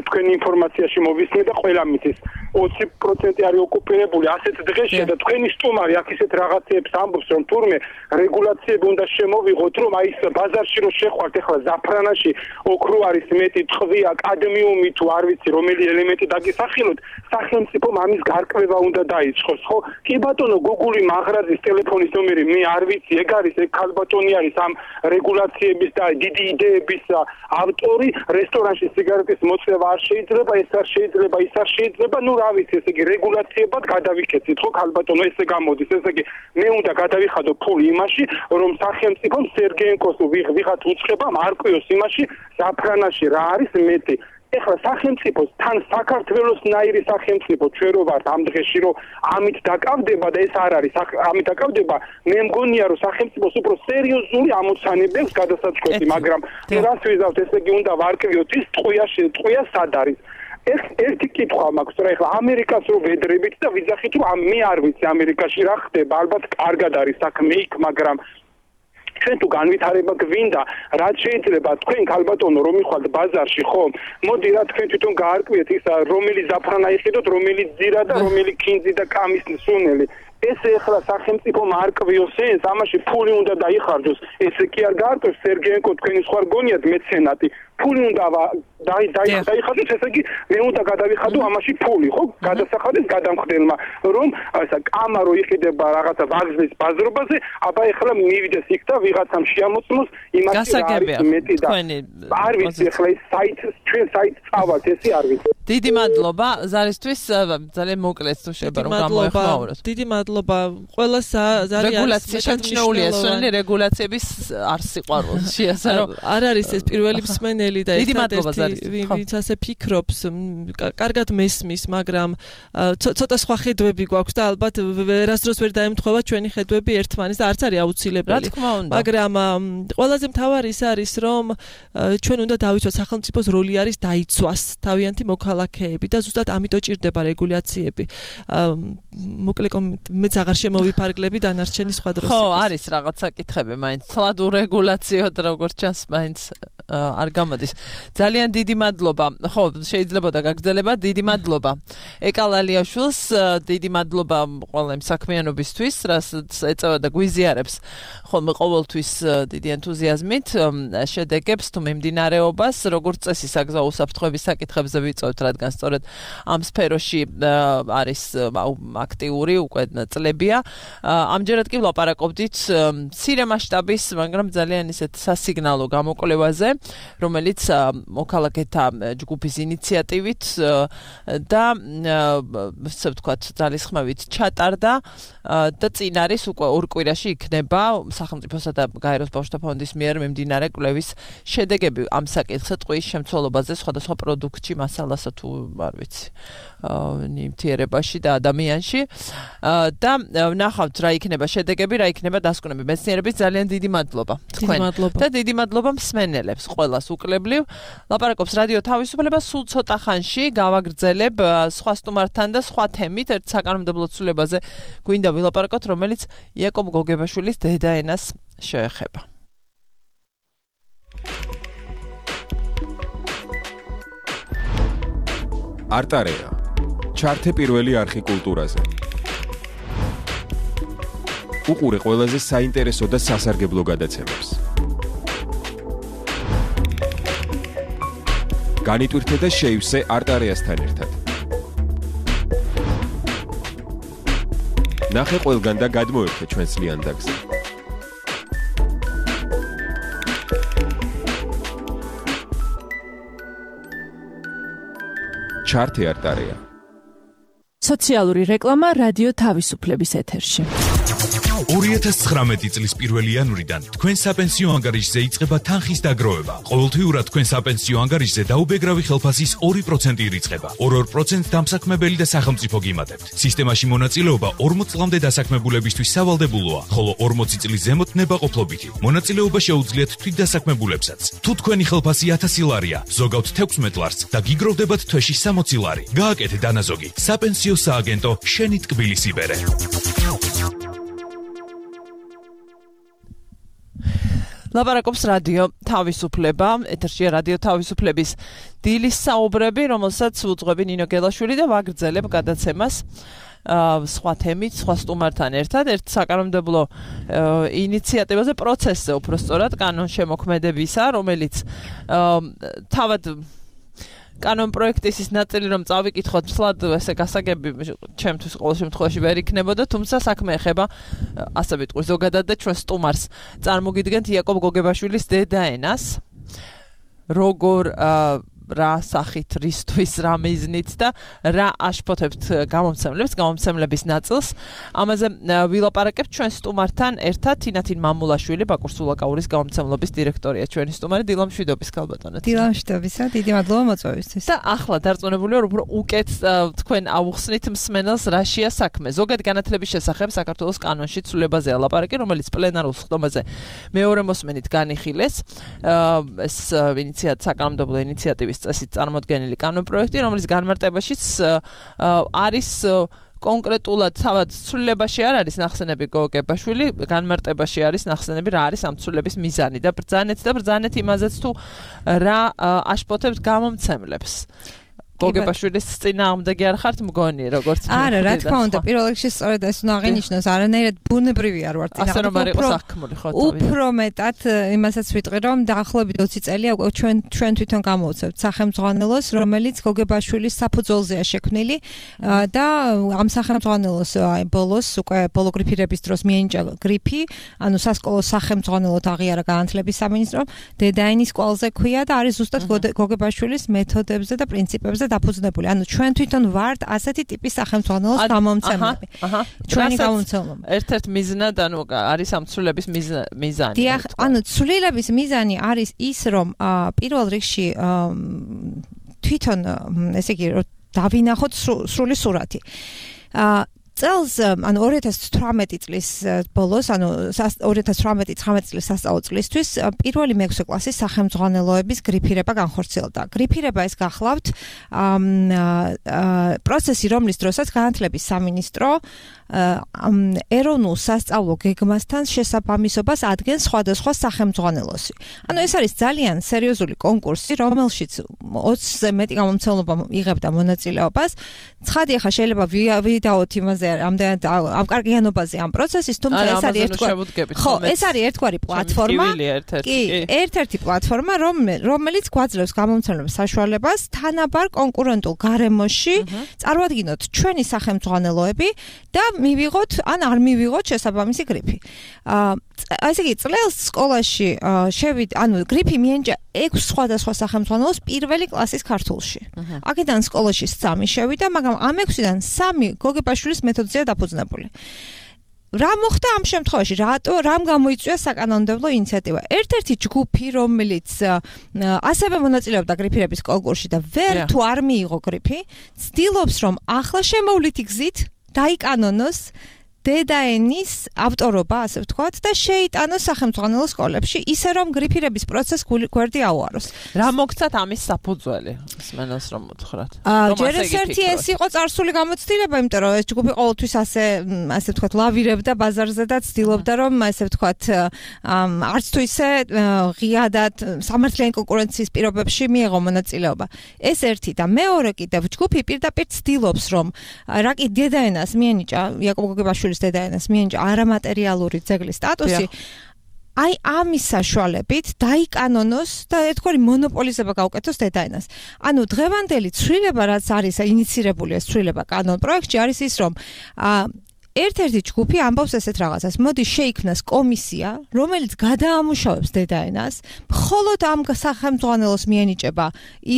თქვენ ინფორმაციაში მოვისმენთ და ყველა მითის 20% არის ოკუპირებული ასეთ დღეში და თქვენი სტუმარი აქ ისეთ რაღაცებს ამბობს, რომ თურმე რეგულაციები უნდა შემოვიღოთ, რომ აი ეს ბაზარში რო შეხვართ, ახლა ზაფრანაში ოქრო არის მეტი, ტყვია, კადმიუმი თუ არ ვიცი, რომელი ელემენტი დაგისახილოთ, სახელმწიფომ ამის გარკვევა უნდა დაიწყოს, ხო? კი ბატონო, გუგული მაღრაძის ტელეფონის ნომერი მე არ ვიცი, ეგ არის, ეგ ქალბატონი არის ამ რეგულაციების და დიდი იდეების ავტორი, რესტორანში სიგარეტის მოწევა არ შეიძლება, ეს არ შეიძლება, ის არ შეიძლება, ნუ რა ვიცი, ესე იგი რეგულაციებად გადავიქეცით, ხო ქალბატონო, ესე გამოდის, ესე იგი მე უნდა გადავიხადო ფული იმაში, რომ სახელმწიფომ სერგეენკოს ვიღაც უცხება მარკვიოს იმაში, ზაფრანაში რა არის მეტი. ეხლა სახელმწიფოს თან საქართველოს ნაირი სახელმწიფო ჩვენ რო ვართ ამ დღეში რომ ამით დაკავდება და ეს არ არის ამით დაკავდება მე მგონია რომ სახელმწიფოს უფრო სერიოზული ამოცანებებს გადასაწყვეტი მაგრამ რას ვიზავთ ესე იგი უნდა ვარკვიოთ ის ტყვია სად არის ეს ერთი კითხვა მაქვს რა ეხლა ამერიკას რო ვედრებით და ვიძახით რომ მე არ ვიცი ამერიკაში რა ხდება ალბათ კარგად არის საქმე იქ მაგრამ ჩვენ თუ განვითარება გვინდა, რაც შეიძლება თქვენ ქალბატონო რომ მიხვალთ ბაზარში, ხო? მოდი რა თქვენ თვითონ გაარკვიეთ ის რომელი ზაფრანა იყიდოთ, რომელი ძირა და რომელი ქინძი და კამის სუნელი. ეს ეხლა სახელმწიფო მარკვიოს ეს, ამაში ფული უნდა დაიხარჯოს. ესე კი არ გაარკვევს სერგეენკო თქვენი სხვა გონიათ მეცენატი. ფული უნდა დაიხარჯოს, ესე იგი მე უნდა გადავიხადო ამაში ფული, ხო? გადასახადეს გადამხდელმა, რომ ესა კამა რო იყიდება რაღაცა ვაგზლის ბაზრობაზე, აბა ეხლა მივიდეს იქ და ვიღაცამ შეამოწმოს იმაში რა არის მეტი და არ ვიცი ეხლა ეს საით ჩვენ საით წავალთ, ესე არ ვიცი. დიდი მადლობა ზარისთვის, ძალიან მოკლედ თუ შეიძლება რომ გამოეხმაუროთ. დიდი მადლობა ყველას ზარი რეგულაცია შეჩნეულია, სული რეგულაციების არ სიყვარულს შეასა რომ არ არის ეს პირველი მსმენელი და ერთადერთი ვინც ასე ფიქრობს, კარგად მესმის, მაგრამ ცოტა სხვა ხედვები გვაქვს და ალბათ ვერასდროს ვერ დაემთხვევა ჩვენი ხედვები ერთმანეთს და არც არის აუცილებელი. მაგრამ ყველაზე მთავარი ის არის, რომ ჩვენ უნდა დავიცვათ სახელმწიფოს როლი არის დაიცვას თავიანთი მოქალაქეები და ზუსტად ამიტომ ჭირდება რეგულაციები. მოკლედ მეც აღარ შემოვიფარგლები დანარჩენი სხვა დროს. ხო, არის რაღაც საკითხები, მაინც ცლად ურეგულაციოდ როგორც ჩანს, მაინც არ გამოდის. ძალიან დიდი მადლობა. ხო, შეიძლება და გაგრძელება. დიდი მადლობა. ეკალალიაშვილს დიდი მადლობა ყველა იმ საქმიანობისთვის, რასაც ეწევა და გვიზიარებს ხოლმე ყოველთვის დიდი ენთუზიაზმით შედეგებს თუ მიმდინარეობას, როგორც წესი საგზაო უსაფრთხოების საკითხებზე ვიწევთ, რადგან სწორედ ამ სფეროში არის აქტიური უკვე წლებია. ამჯერად კი ვლაპარაკობდით მცირე მასშტაბის, მაგრამ ძალიან ისეთ სასიგნალო გამოკვლევაზე, რომელიც მოქალაქეთა ჯგუფის ინიციატივით და ასე ვთქვათ, ძალისხმევით ჩატარდა და წინ არის უკვე ორ კვირაში იქნება სახელმწიფოსა და გაეროს ბავშვთა ფონდის მიერ მიმდინარე კვლევის შედეგები ამ საკითხზე ტყუის შემცველობაზე სხვადასხვა პროდუქტში, მასალასა თუ არ ვიცი, ნივთიერებაში და ადამიანში და ვნახავთ რა იქნება შედეგები, რა იქნება დასკვნები. მეცნიერების ძალიან დიდი მადლობა თქვენ და დიდი მადლობა მსმენელებს ყველას უკლებლივ. ლაპარაკობს რადიო თავისუფლება, სულ ცოტა ხანში გავაგრძელებ სხვა სტუმართან და სხვა თემით ერთ საკანონმდებლო ცვლილებაზე გვინდა ვილაპარაკოთ, რომელიც იაკობ გოგებაშვილის დედაენას შეეხება. არტარეა. ჩართე პირველი არხი კულტურაზე. უყურე ყველაზე საინტერესო და სასარგებლო გადაცემებს. განიტვირთე და შეივსე არტარეასთან ერთად. ნახე ყველგან და გადმოერთე ჩვენს ლიანდაგზე. ჩართე არტარეა. სოციალური რეკლამა რადიო თავისუფლების ეთერში. 2019 წლის 1 იანვრიდან თქვენ საპენსიო ანგარიშზე იწყება თანხის დაგროვება. ყოველთვიურად თქვენ საპენსიო ანგარიშზე დაუბეგრავი ხელფასის 2% ირიცხება. 2% დამსაქმებელი და სახელმწიფო გიმატებთ. სისტემაში მონაწილეობა 40 წლამდე დასაქმებულებისთვის სავალდებულოა, ხოლო 40 წლის ზემოთ ნებაყოფლობითი. მონაწილეობა შეუძლიათ თვითდასაქმებულებსაც. თუ თქვენი ხელფასი 1000 ლარია, ზოგავთ 16 ლარს და გიგროვდებათ თვეში 60 ლარი. გააკეთე დანაზოგი. საპენსიო სააგენტო შენი ტკბილის იბერე. ლაპარაკობს რადიო თავისუფლება, ეთერშია რადიო თავისუფლების დილის საუბრები, რომელსაც უძღვები ნინო გელაშვილი და ვაგრძელებ გადაცემას სხვა თემით, სხვა სტუმართან ერთად, ერთ საკანონმდებლო ინიციატივაზე, პროცესზე უფრო სწორად, კანონშემოქმედებისა, რომელიც თავად კანონ პროექტის ის ნაწილი რომ წავიკითხოთ, სლად ესე გასაგები ჩემთვის ყოველ შემთხვევაში ვერ იქნებოდა, თუმცა საქმე ეხება ასე ვიტყვი ზოგადად და ჩვენ სტუმარს წარმოგიდგენთ იაკობ გოგებაშვილის დედაენას, როგორ რა სახით, რისთვის, რა მიზნით და რა აშფოთებთ გამომცემლების ნაწილს. ამაზე ვილაპარაკებთ ჩვენ სტუმართან ერთად, თინათინ მამულაშვილი, ბაკურ სულაკაურის გამომცემლობის დირექტორია, ჩვენი სტუმარი, დილა მშვიდობის ქალბატონო. დილა მშვიდობისა, დიდი მადლობა მოწვევისთვის. და ახლა დარწმუნებული ვარ, უფრო უკეთ თქვენ აუხსნით მსმენელს რაშია საქმე. ზოგადი განათლების შესახებ საქართველოს კანონში ცვლილებაზეა ლაპარაკი, რომელიც პლენარულ სხდომაზე მეორე მოსმენით განიხილეს. ეს საკანონმდებლო ინიციატივის წესით წარმოდგენილი კანონპროექტი, რომელიც განმარტებაშიც არის კონკრეტულად თავად ცვლილებაში არ არის ნახსენები გოგებაშვილი, განმარტებაში არის ნახსენები რა არის ამ ცვლილების მიზანი და ბრძანეთ იმაზეც თუ რა აშფოთებთ გამომცემლებს. გოგებაშვილის წინააღმდეგი არ ხართ მგონი, როგორც არა, რა თქმა უნდა, პირველ რიგში სწორედ ეს უნდა აღინიშნოს, არანაირად ბუნებრივი არ ვარ წინააღმდეგი. ასე რომ არ იყოს აღქმული ხო თავი. უფრო მეტად იმასაც ვიტყვი, რომ დაახლოებით 20 წელია უკვე ჩვენ თვითონ გამოვცემთ სახელმძღვანელოს, რომელიც გოგებაშვილის საფუძველზეა შექმნილი და ამ სახელმძღვანელოს ბოლოს უკვე ბოლო გრიფირების დროს მიენიჭა გრიფი, ანუ სასკოლო სახელმძღვანელოდ აღიარა განათლების სამინისტრომ, დედაენის კვალზე ქვია და არის ზუსტად გოგებაშვილის მეთოდებზე და პრინციპებზე დაფუძნებული. ანუ ჩვენ თვითონ ვართ ასეთი ტიპის სახელმძღვანელოს გამომცემლები. ჩვენი გამომცემლობა. ერთ-ერთ მიზნად, ანუ არის ამ ცვლილების მიზანი. დიახ, ანუ ცვლილების მიზანი არის ის, რომ პირველ რიგში თვითონ, ესე იგი, დავინახოთ სრული სურათი. წელს, ანუ 2018 წლის ბოლოს, ანუ 2018-19 წლის სასწავლო წლისთვის პირველი მე-6 კლასის სახელმძღვანელოების გრიფირება განხორციელდა. გრიფირება ეს გახლავთ პროცესი, რომლის დროსაც განათლების სამინისტრო ეროვნულ სასწავლო გეგმასთან შესაბამისობას ადგენს სხვადასხვა სახელმძღვანელოსი. ანუ ეს არის ძალიან სერიოზული კონკურსი, რომელშიც 20-ზე მეტი გამომცემლობა იღებდა მონაწილეობას. ცხადი ახლა შეიძლება ვიდაოთ იმაზე ამდენად ავკარგიანობაზე ამ პროცესის, თუმცა ეს არის ერთგვარი პლატფორმა. კი, ერთ-ერთი პლატფორმა, რომელიც გვაძლევს გამომცემლებს საშუალებას თანაბარ კონკურენტულ გარემოში წარმოადგინოთ ჩვენი სახელმძღვანელოები და მივიღოთ ან არ მივიღოთ შესაბამისი გრიფი. ასე იგი, წელს სკოლაში ანუ გრიფი მიენიჭა 6 სხვადასხვა სახელმძღვანელოს პირველი კლასის ქართულში. აქედან სკოლაში 3 შევიდა, მაგრამ ამ 6-დან 3 გოგებაშვილის მეთოდზეა დაფუძნებული. რა მოხდა ამ შემთხვევაში? რამ გამოიწვია საკანონმდებლო ინიციატივა? ერთ-ერთი ჯგუფი, რომელიც ასევე მონაწილეობდა გრიფირების კონკურსში და ვერ თუ არ მიიღო გრიფი, ცდილობს, რომ ახლა შემოვლითი გზით დაიკანონოს დედაენის ავტორობა, ასე ვთქვათ, და შეიტანოს სახელმძღვანელო სკოლებში, ისე რომ გრიფირების პროცესს გვერდი აუაროს. რა მოგცათ ამის საფუძველი? მსმენელს რომ უთხრათ. ჯერ ერთი ეს იყო წარსული გამოცდილება, იმიტომ რომ ეს ჯგუფი ყოველთვის ასე ვთქვათ, ლავირებდა ბაზარზე და ცდილობდა, რომ ასე ვთქვათ, არც თუ ისე ღიადად სამართლიანი კონკურენციის პირობებში მიეღო მონაწილეობა. ეს ერთი და მეორე კიდევ ჯგუფი პირდაპირ ცდილობს, რომ რა კი დედაენას მიენიჭა იაკობ გოგებაშვილის დედაენას მიენიჭა არამატერიალური ძეგლის სტატუსი, აი ამის საშუალებით დაიკანონოს და ერთგვარი მონოპოლიზება გაუკეთოს დედაენას. ანუ დღევანდელი ცვლილება, რაც არის ინიცირებული ეს ცვლილება კანონ პროექტში, არის ის, რომ ერთ-ერთი ჯგუფი ამბობს ესეთ რაღაცას, მოდი შეიქმნას კომისია, რომელიც გადაამუშავებს დედაენას, მხოლოდ ამ სახელმძღვანელოს მიენიჭება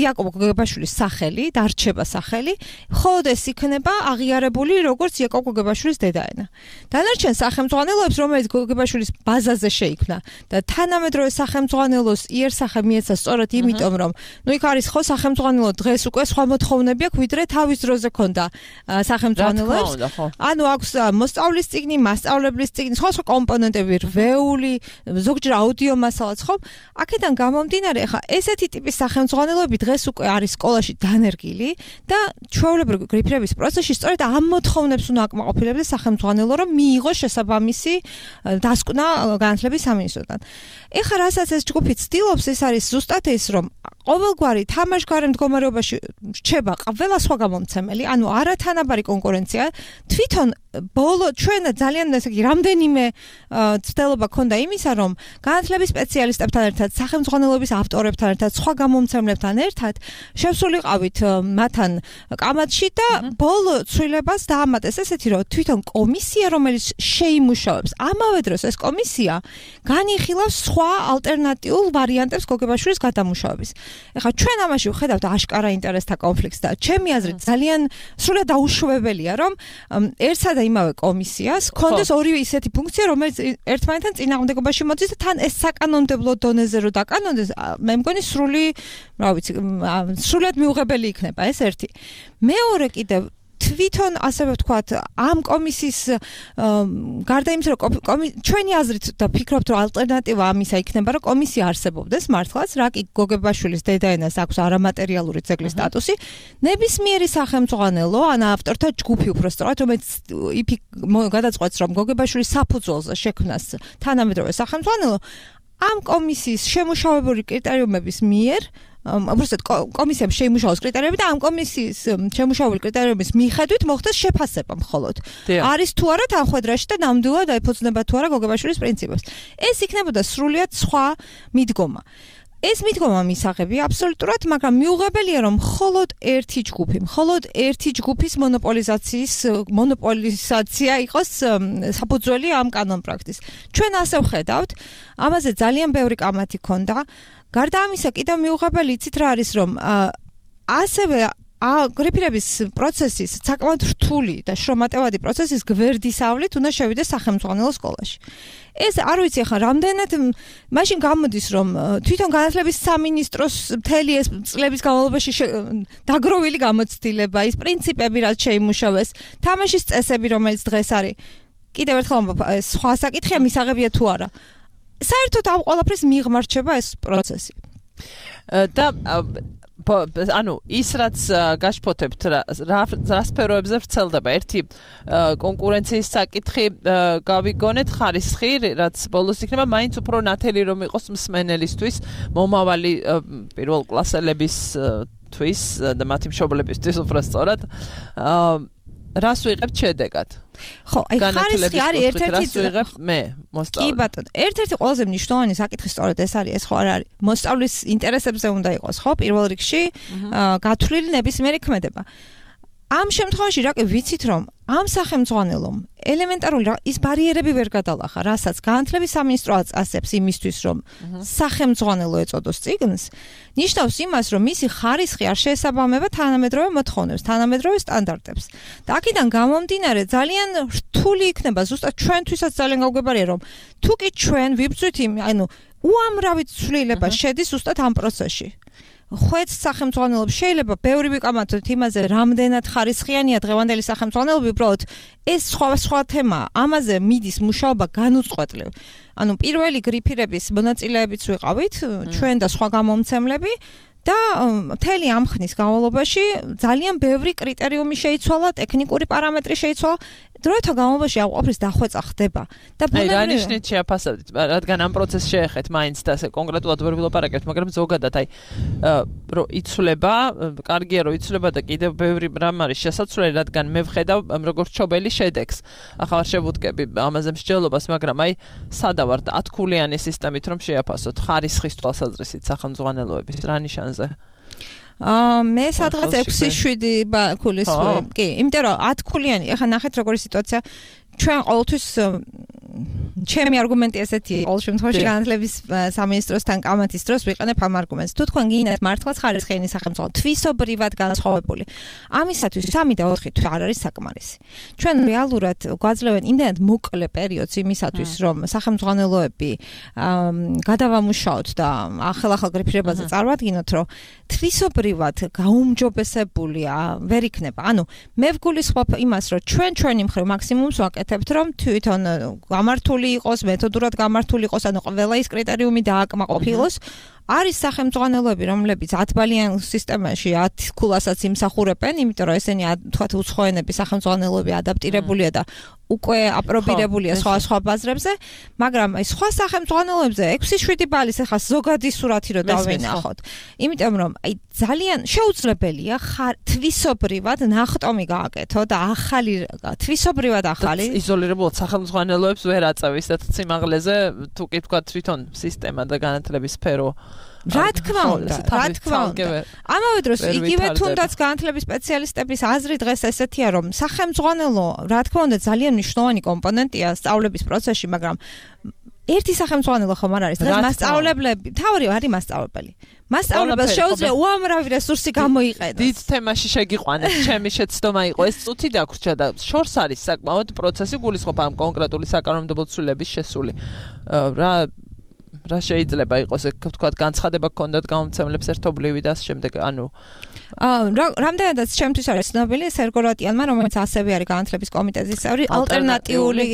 იაკობ გოგებაშვილის სახელი, დარჩება სახელი, მხოლოდ ეს იქნება აღიარებული როგორც იაკობ გოგებაშვილის დედაენა. დანარჩენ სახელმძღვანელოებს, რომელიც გოგებაშვილის ბაზაზე შეიქმნა და თანამედროვე სახელმძღვანელოს იერსახე მიეცა სწორად იმიტომ, რომ ნუ იქ არის ხო სახელმძღვანელო დღეს უკვე სხვა მოთხოვნები აქვს, ვიდრე თავის დროზე ქონდა სახელმძღვანელოებს. ანუ აქვს მოსწავლის წიგნი, მასწავლებლის წიგნი, სხვა კომპონენტები, რვეული, ზოგჯერ აუდიო მასალაც, ხო? აქედან გამომდინარე, ხა ესეთი ტიპის სახელმძღვანელოები დღეს უკვე არის სკოლაში დანერგილი და ჩვეულებრივი გრიფირების პროცესში სწორედ ამ მოთხოვნებს უნდა აკმაყოფილებდეს სახელმძღვანელო, რომ მიიღოს შესაბამისი დასკვნა განათლების სამინისტროდან. ეხლა რასაც ეს ჯგუფი ცდილობს, ეს არის ზუსტად ეს, რომ ყოველგვარი თამაშგარე მდგომარეობაში რჩება ყველა სხვა გამომცემელი, ანუ არათანაბარი კონკურენცია, თვითონ ბოლო ჩვენ ძალიან ესე იგი რამდენიმე ცდელობა ქონდა იმისა, რომ განათლების სპეციალისტებთან ერთად, სახელმძღვანელოების ავტორებთან ერთად, სხვა გამომცემლებთან ერთად შევსულიყავით მათთან კამათში და ბოლო ცვლილებას დაამატეს ესეთი, რომ თვითონ კომისია, რომელიც შეიმუშავებს, ამავე დროს ეს კომისია განიხილავს სხვა ალტერნატიულ ვარიანტებს გოგებაშვილის გადამუშავების. ეხლა ჩვენ ამაში ვხედავთ აშკარა ინტერესთა კონფლიქტს და ჩემი აზრით ძალიან სრულად დაუშვებელია, რომ ერთსა და იმავე კომისიას ქონდეს ორივე ისეთი ფუნქცია, რომელიც ერთმანეთთან წინააღმდეგობაში მოდის და თან ეს საკანონმდებლო დონეზე რო დაკანონდეს, მე მგონი სრულად მიუღებელი იქნება ეს ერთი. მეორე კიდევ თვითონ ასევე ვთქვათ, ამ კომისიის გარდა იმისა, რომ ჩვენი აზრით და ფიქრობთ, რომ ალტერნატივა ამისა იქნება, რომ კომისია არსებობდეს მართლაც, რა კი გოგებაშვილის დედაენას აქვს არამატერიალური ძეგლის სტატუსი, ნებისმიერი სახელმძღვანელო, ან ავტორთა ჯგუფი უფრო სწორად, რომელიც გადაწყვეტს, რომ გოგებაშვილის საფუძველზე შექმნას თანამედროვე სახელმძღვანელო, ამ კომისიის შემუშავებული კრიტერიუმების მიერ უბრალოდ კომისიამ შეიმუშაოს კრიტერიუმები და ამ კომისიის შემუშავებული კრიტერიუმების მიხედვით მოხდეს შეფასება მხოლოდ. არის თუ არა თანხმედრაში და ნამდვილად ეფუძნება თუ არა გოგებაშვილის პრინციპებს. ეს იქნებოდა სრულიად სხვა მიდგომა. ეს მიდგომა მისაღებია აბსოლუტურად, მაგრამ მიუღებელია, რომ მხოლოდ ერთი ჯგუფის მონოპოლიზაცია იყოს საფუძველი ამ კანონპრაქტის. ჩვენ ასე ვხედავთ, ამაზე ძალიან ბევრი კამათი ქონდა. გარდა ამისა, კიდევ მიუღებელი იცით რა არის, რომ ასევე გრიფირების პროცესის საკმაოდ რთული და შრომატევადი პროცესის გვერდისავლით უნდა შევიდეს სახელმძღვანელო სკოლაში. ეს არ ვიცი ახლა რამდენად მაშინ გამოდის, რომ თვითონ განათლების სამინისტროს მთელი ეს წლების განმავლობაში დაგროვილი გამოცდილება, ის პრინციპები, რაც შეიმუშავეს, თამაშის წესები, რომელიც დღეს არის, კიდევ ერთხელ სხვა საკითხია, მისაღებია თუ არა. საერთოდ ამ ყველაფრის მიღმარჩება ეს პროცესი. და ანუ ის რაც გაშფოთებთ რა სფეროებზე ვრცელდება, ერთი კონკურენციის საკითხი გავიგონეთ, ხარისხი, რაც ბოლოს იქნება მაინც უფრო ნათელი რომ იყოს მსმენელისთვის, მომავალი პირველ კლასელებისთვის და მათი მშობლებისთვის უფრო სწორად. რას ვიღებთ შედეგად? ხო, აი ხარისხი არის ერთ-ერთი კი ბატონო, ერთ-ერთი ყველაზე მნიშვნელოვანი საკითხი სწორედ ეს არის, ეს ხო არ არის მოსწავლის ინტერესებზე უნდა იყოს, ხო, პირველ რიგში გათვლილი ნებისმიერი ქმედება. ამ შემთხვევაში რა კი ვიცით, რომ ამ სახელმძღვანელომ ელემენტარული ის ბარიერები ვერ გადალახა, რასაც განათლების სამინისტრო აწესებს იმისთვის, რომ სახელმძღვანელო ეწოდოს წიგნს, ნიშნავს იმას, რომ მისი ხარისხი არ შეესაბამება თანამედროვე მოთხოვნებს, თანამედროვე სტანდარტებს. და აქედან გამომდინარე ძალიან რთული იქნება, ზუსტად ჩვენთვისაც ძალიან გავგებარია, რომ თუ კი ჩვენ ვიბრძვით ანუ უამრავი ცვლილება შედის ზუსტად ამ პროცესში. ხვეც სახელმძღვანელოებს შეიძლება ბევრი ვიკამათოთ იმაზე, რამდენად ხარისხიანია დღევანდელი სახელმძღვანელოები, უბრალოდ ეს სხვა თემაა. ამაზე მიდის მუშაობა განუწყვეტლივ. ანუ პირველი გრიფირების მონაწილეებიც ვიყავით, ჩვენ და სხვა გამომცემლები და მთელი ამ ხნის განმავლობაში ძალიან ბევრი კრიტერიუმი შეიცვალა, ტექნიკური პარამეტრი შეიცვალა. დროთა განმავლობაში ამ ყოფრის დახვეწა ხდება და რა ნიშნით შეაფასებთ, რადგან ამ პროცესს შეეხეთ მაინც და ასე კონკრეტულად ვერ ვილაპარაკებთ, მაგრამ ზოგადად აი რომ იცვლება, კარგია რომ იცვლება და კიდევ ბევრი რამ არის შესაძლებელი, რადგან მე ვხედავ როგორც ჩობელი შედეგს. ახლა შევუდგები ამაზე მსჯელობას, მაგრამ აი სადავართ 10 ქულიანი სისტემით რომ შეაფასოთ ხარისხის თვალსაზრისით სახელმძღვანელოების რა ნიშანზე? მე სადღაც 6-7 ქულის კი, იმიტომ რომ 10 ქულიანი, ახლა ნახეთ როგორი სიტუაცია. ჩვენ ყოველთვის ჩემი არგუმენტი ესეთი ყოველ შემთხვევაში განათლების სამინისტროსთან კამათის დროს ვიყენებ ამ არგუმენტს. თუ თქვენ გინდათ მართლაც ხარისხიანი სახელმწიფო თვისობრივად განსხვავებული, ამისათვის 3 და 4 თვე არ არის საკმარისი. ჩვენ რეალურად გვაძლევენ იმდენად მოკლე პერიოდს იმისათვის, რომ სახელმძღვანელოები გადავამუშაოთ და ახალ გრიფირებაზე წარვადგინოთ, რომ თვისობრივად გაუმჯობესებული ვერ იქნება. ანუ მე ვგულისხმობ იმას, რომ ჩვენი მხრივ მაქსიმუმს ვაკეთებთ, რომ თვითონ გამართული იყოს, მეთოდურად გამართული იყოს, ანუ ყველა ის კრიტერიუმი დააკმაყოფილოს. არის სახელმძღვანელოები, რომლებიც 10 ბალიან სისტემაში 10 ქულასაც იმსახურებენ, იმიტომ რომ ესენი თქვათ უცხოენების სახელმძღვანელოები ადაპტირებულია და უკვე აპრობირებულია სხვა ბაზრებზე, მაგრამ აი სხვა სახელმძღვანელოებზე 6-7 ბალის ახლა ზოგადი სურათი რო დავენახოთ. იმიტომ რომ აი ძალიან შეუძლებელია თვისობრივად ნახტომი გააკეთო და თვისობრივად ახალი იზოლირებულად სახელმძღვანელოებს ვერ აწევის და სიმაღლეზე თუ კი თქვა თვითონ სისტემა და განათლების სფერო რა თქმა უნდა. ამავე დროს იგივე თუნდაც განათლების სპეციალისტების აზრი დღეს ესეთია, რომ სახელმძღვანელო რა თქმა უნდა ძალიან მნიშვნელოვანი კომპონენტია სწავლების პროცესში, მაგრამ ერთი სახელმძღვანელო ხომ არ არის, დღეს მასწავლებლები, თავი არის მასწავლებელი. მასწავლებელს შეუძლია უამრავი რესურსი გამოიყენოს. დიდ თემაში შეგიყვანეთ, ჩემი შეცდომა იყო ეს წუთი დაგვრჩა და შორს არის საკმაოდ პროცესი გულისხმობ ამ კონკრეტული საკანონმდებლო ცვლილების შესული. რა შეიძლება იყოს, თქვათ, განცხადება გქონდათ გამომცემლებს ერთობლივი და შემდეგ, ანუ რამდენადაც ჩემთვის არის ცნობილი სერგო რატიანმა, რომელიც ასევე არის განათლების კომიტეტის წევრი, ალტერნატიული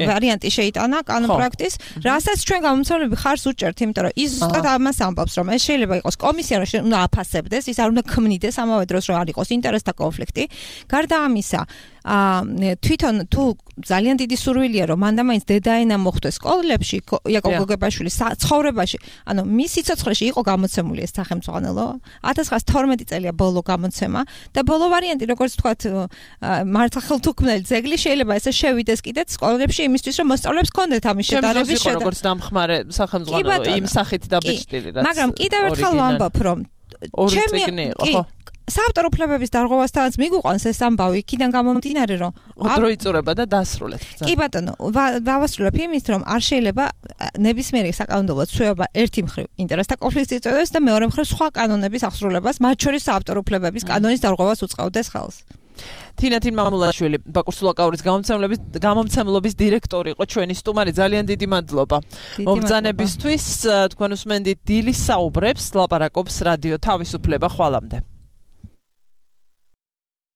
ვარიანტი შეიტანა კანონპროექტის, რასაც ჩვენ გამომცემლები ხარს უჭერთ, იმიტომ რომ ის ზუსტად ამას ამბობს, რომ ეს შეიძლება იყოს კომისია, რომ უნდა აფასებდეს, ის არ უნდა ქმნიდეს ამავე დროს, რომ არ იყოს ინტერესთა კონფლიქტი. გარდა ამისა, თვითონ თუ ძალიან დიდი სურვილია, რომ მანდამაინც დედაენა მოხვდეს სკოლებში, იაკობ გოგებაშვილის ცხოვრებაში, ანუ მის სიცოცხლეში იყო გამოცემული ეს სახელმძღვანელო 1912 წელია ბოლო გამოცემა და ბოლო ვარიანტი, როგორც თქვათ, მართლა ხელთუქმნელი ძეგლი შეიძლება ესე შევიდეს კიდეც სკოლებში იმისთვის, რომ მოსწავლეებს კონდეთ ამის შედარების შედა. როგორც დამხმარე სახელმძღვანელო იმ სახით დაბეჭდილი, რაც მაგრამ კიდევ ერთხელ ვამბობ, რომ საავტორო უფლებების დარღვევასთანაც მიგვიყვანს ეს ამბავი, იქიდან გამომდინარე, რომ დრო იწურება და დასრულეთ. კი ბატონო, დავასრულებ იმით, რომ არ შეიძლება ნებისმიერი საკანონმდებლო ცვლილება ერთი მხრივ ინტერესთა კონფლიქტს იწვევდეს და მეორე მხრივ სხვა კანონების აღსრულებას, მათ შორის საავტორო უფლებების კანონის დარღვევას უწყევდეს ხელს. თინათინ მამულაშვილი, ბაკურ სულაკაურის გამომცემლობის დირექტორი იყო ჩვენი სტუმარი, ძალიან დიდი მადლობა. მომბრძანებისთვის თქვენ უსმენდით დილის საუბრებს, ლაპარაკობს რადიო თავისუფლება. ხვალამდე.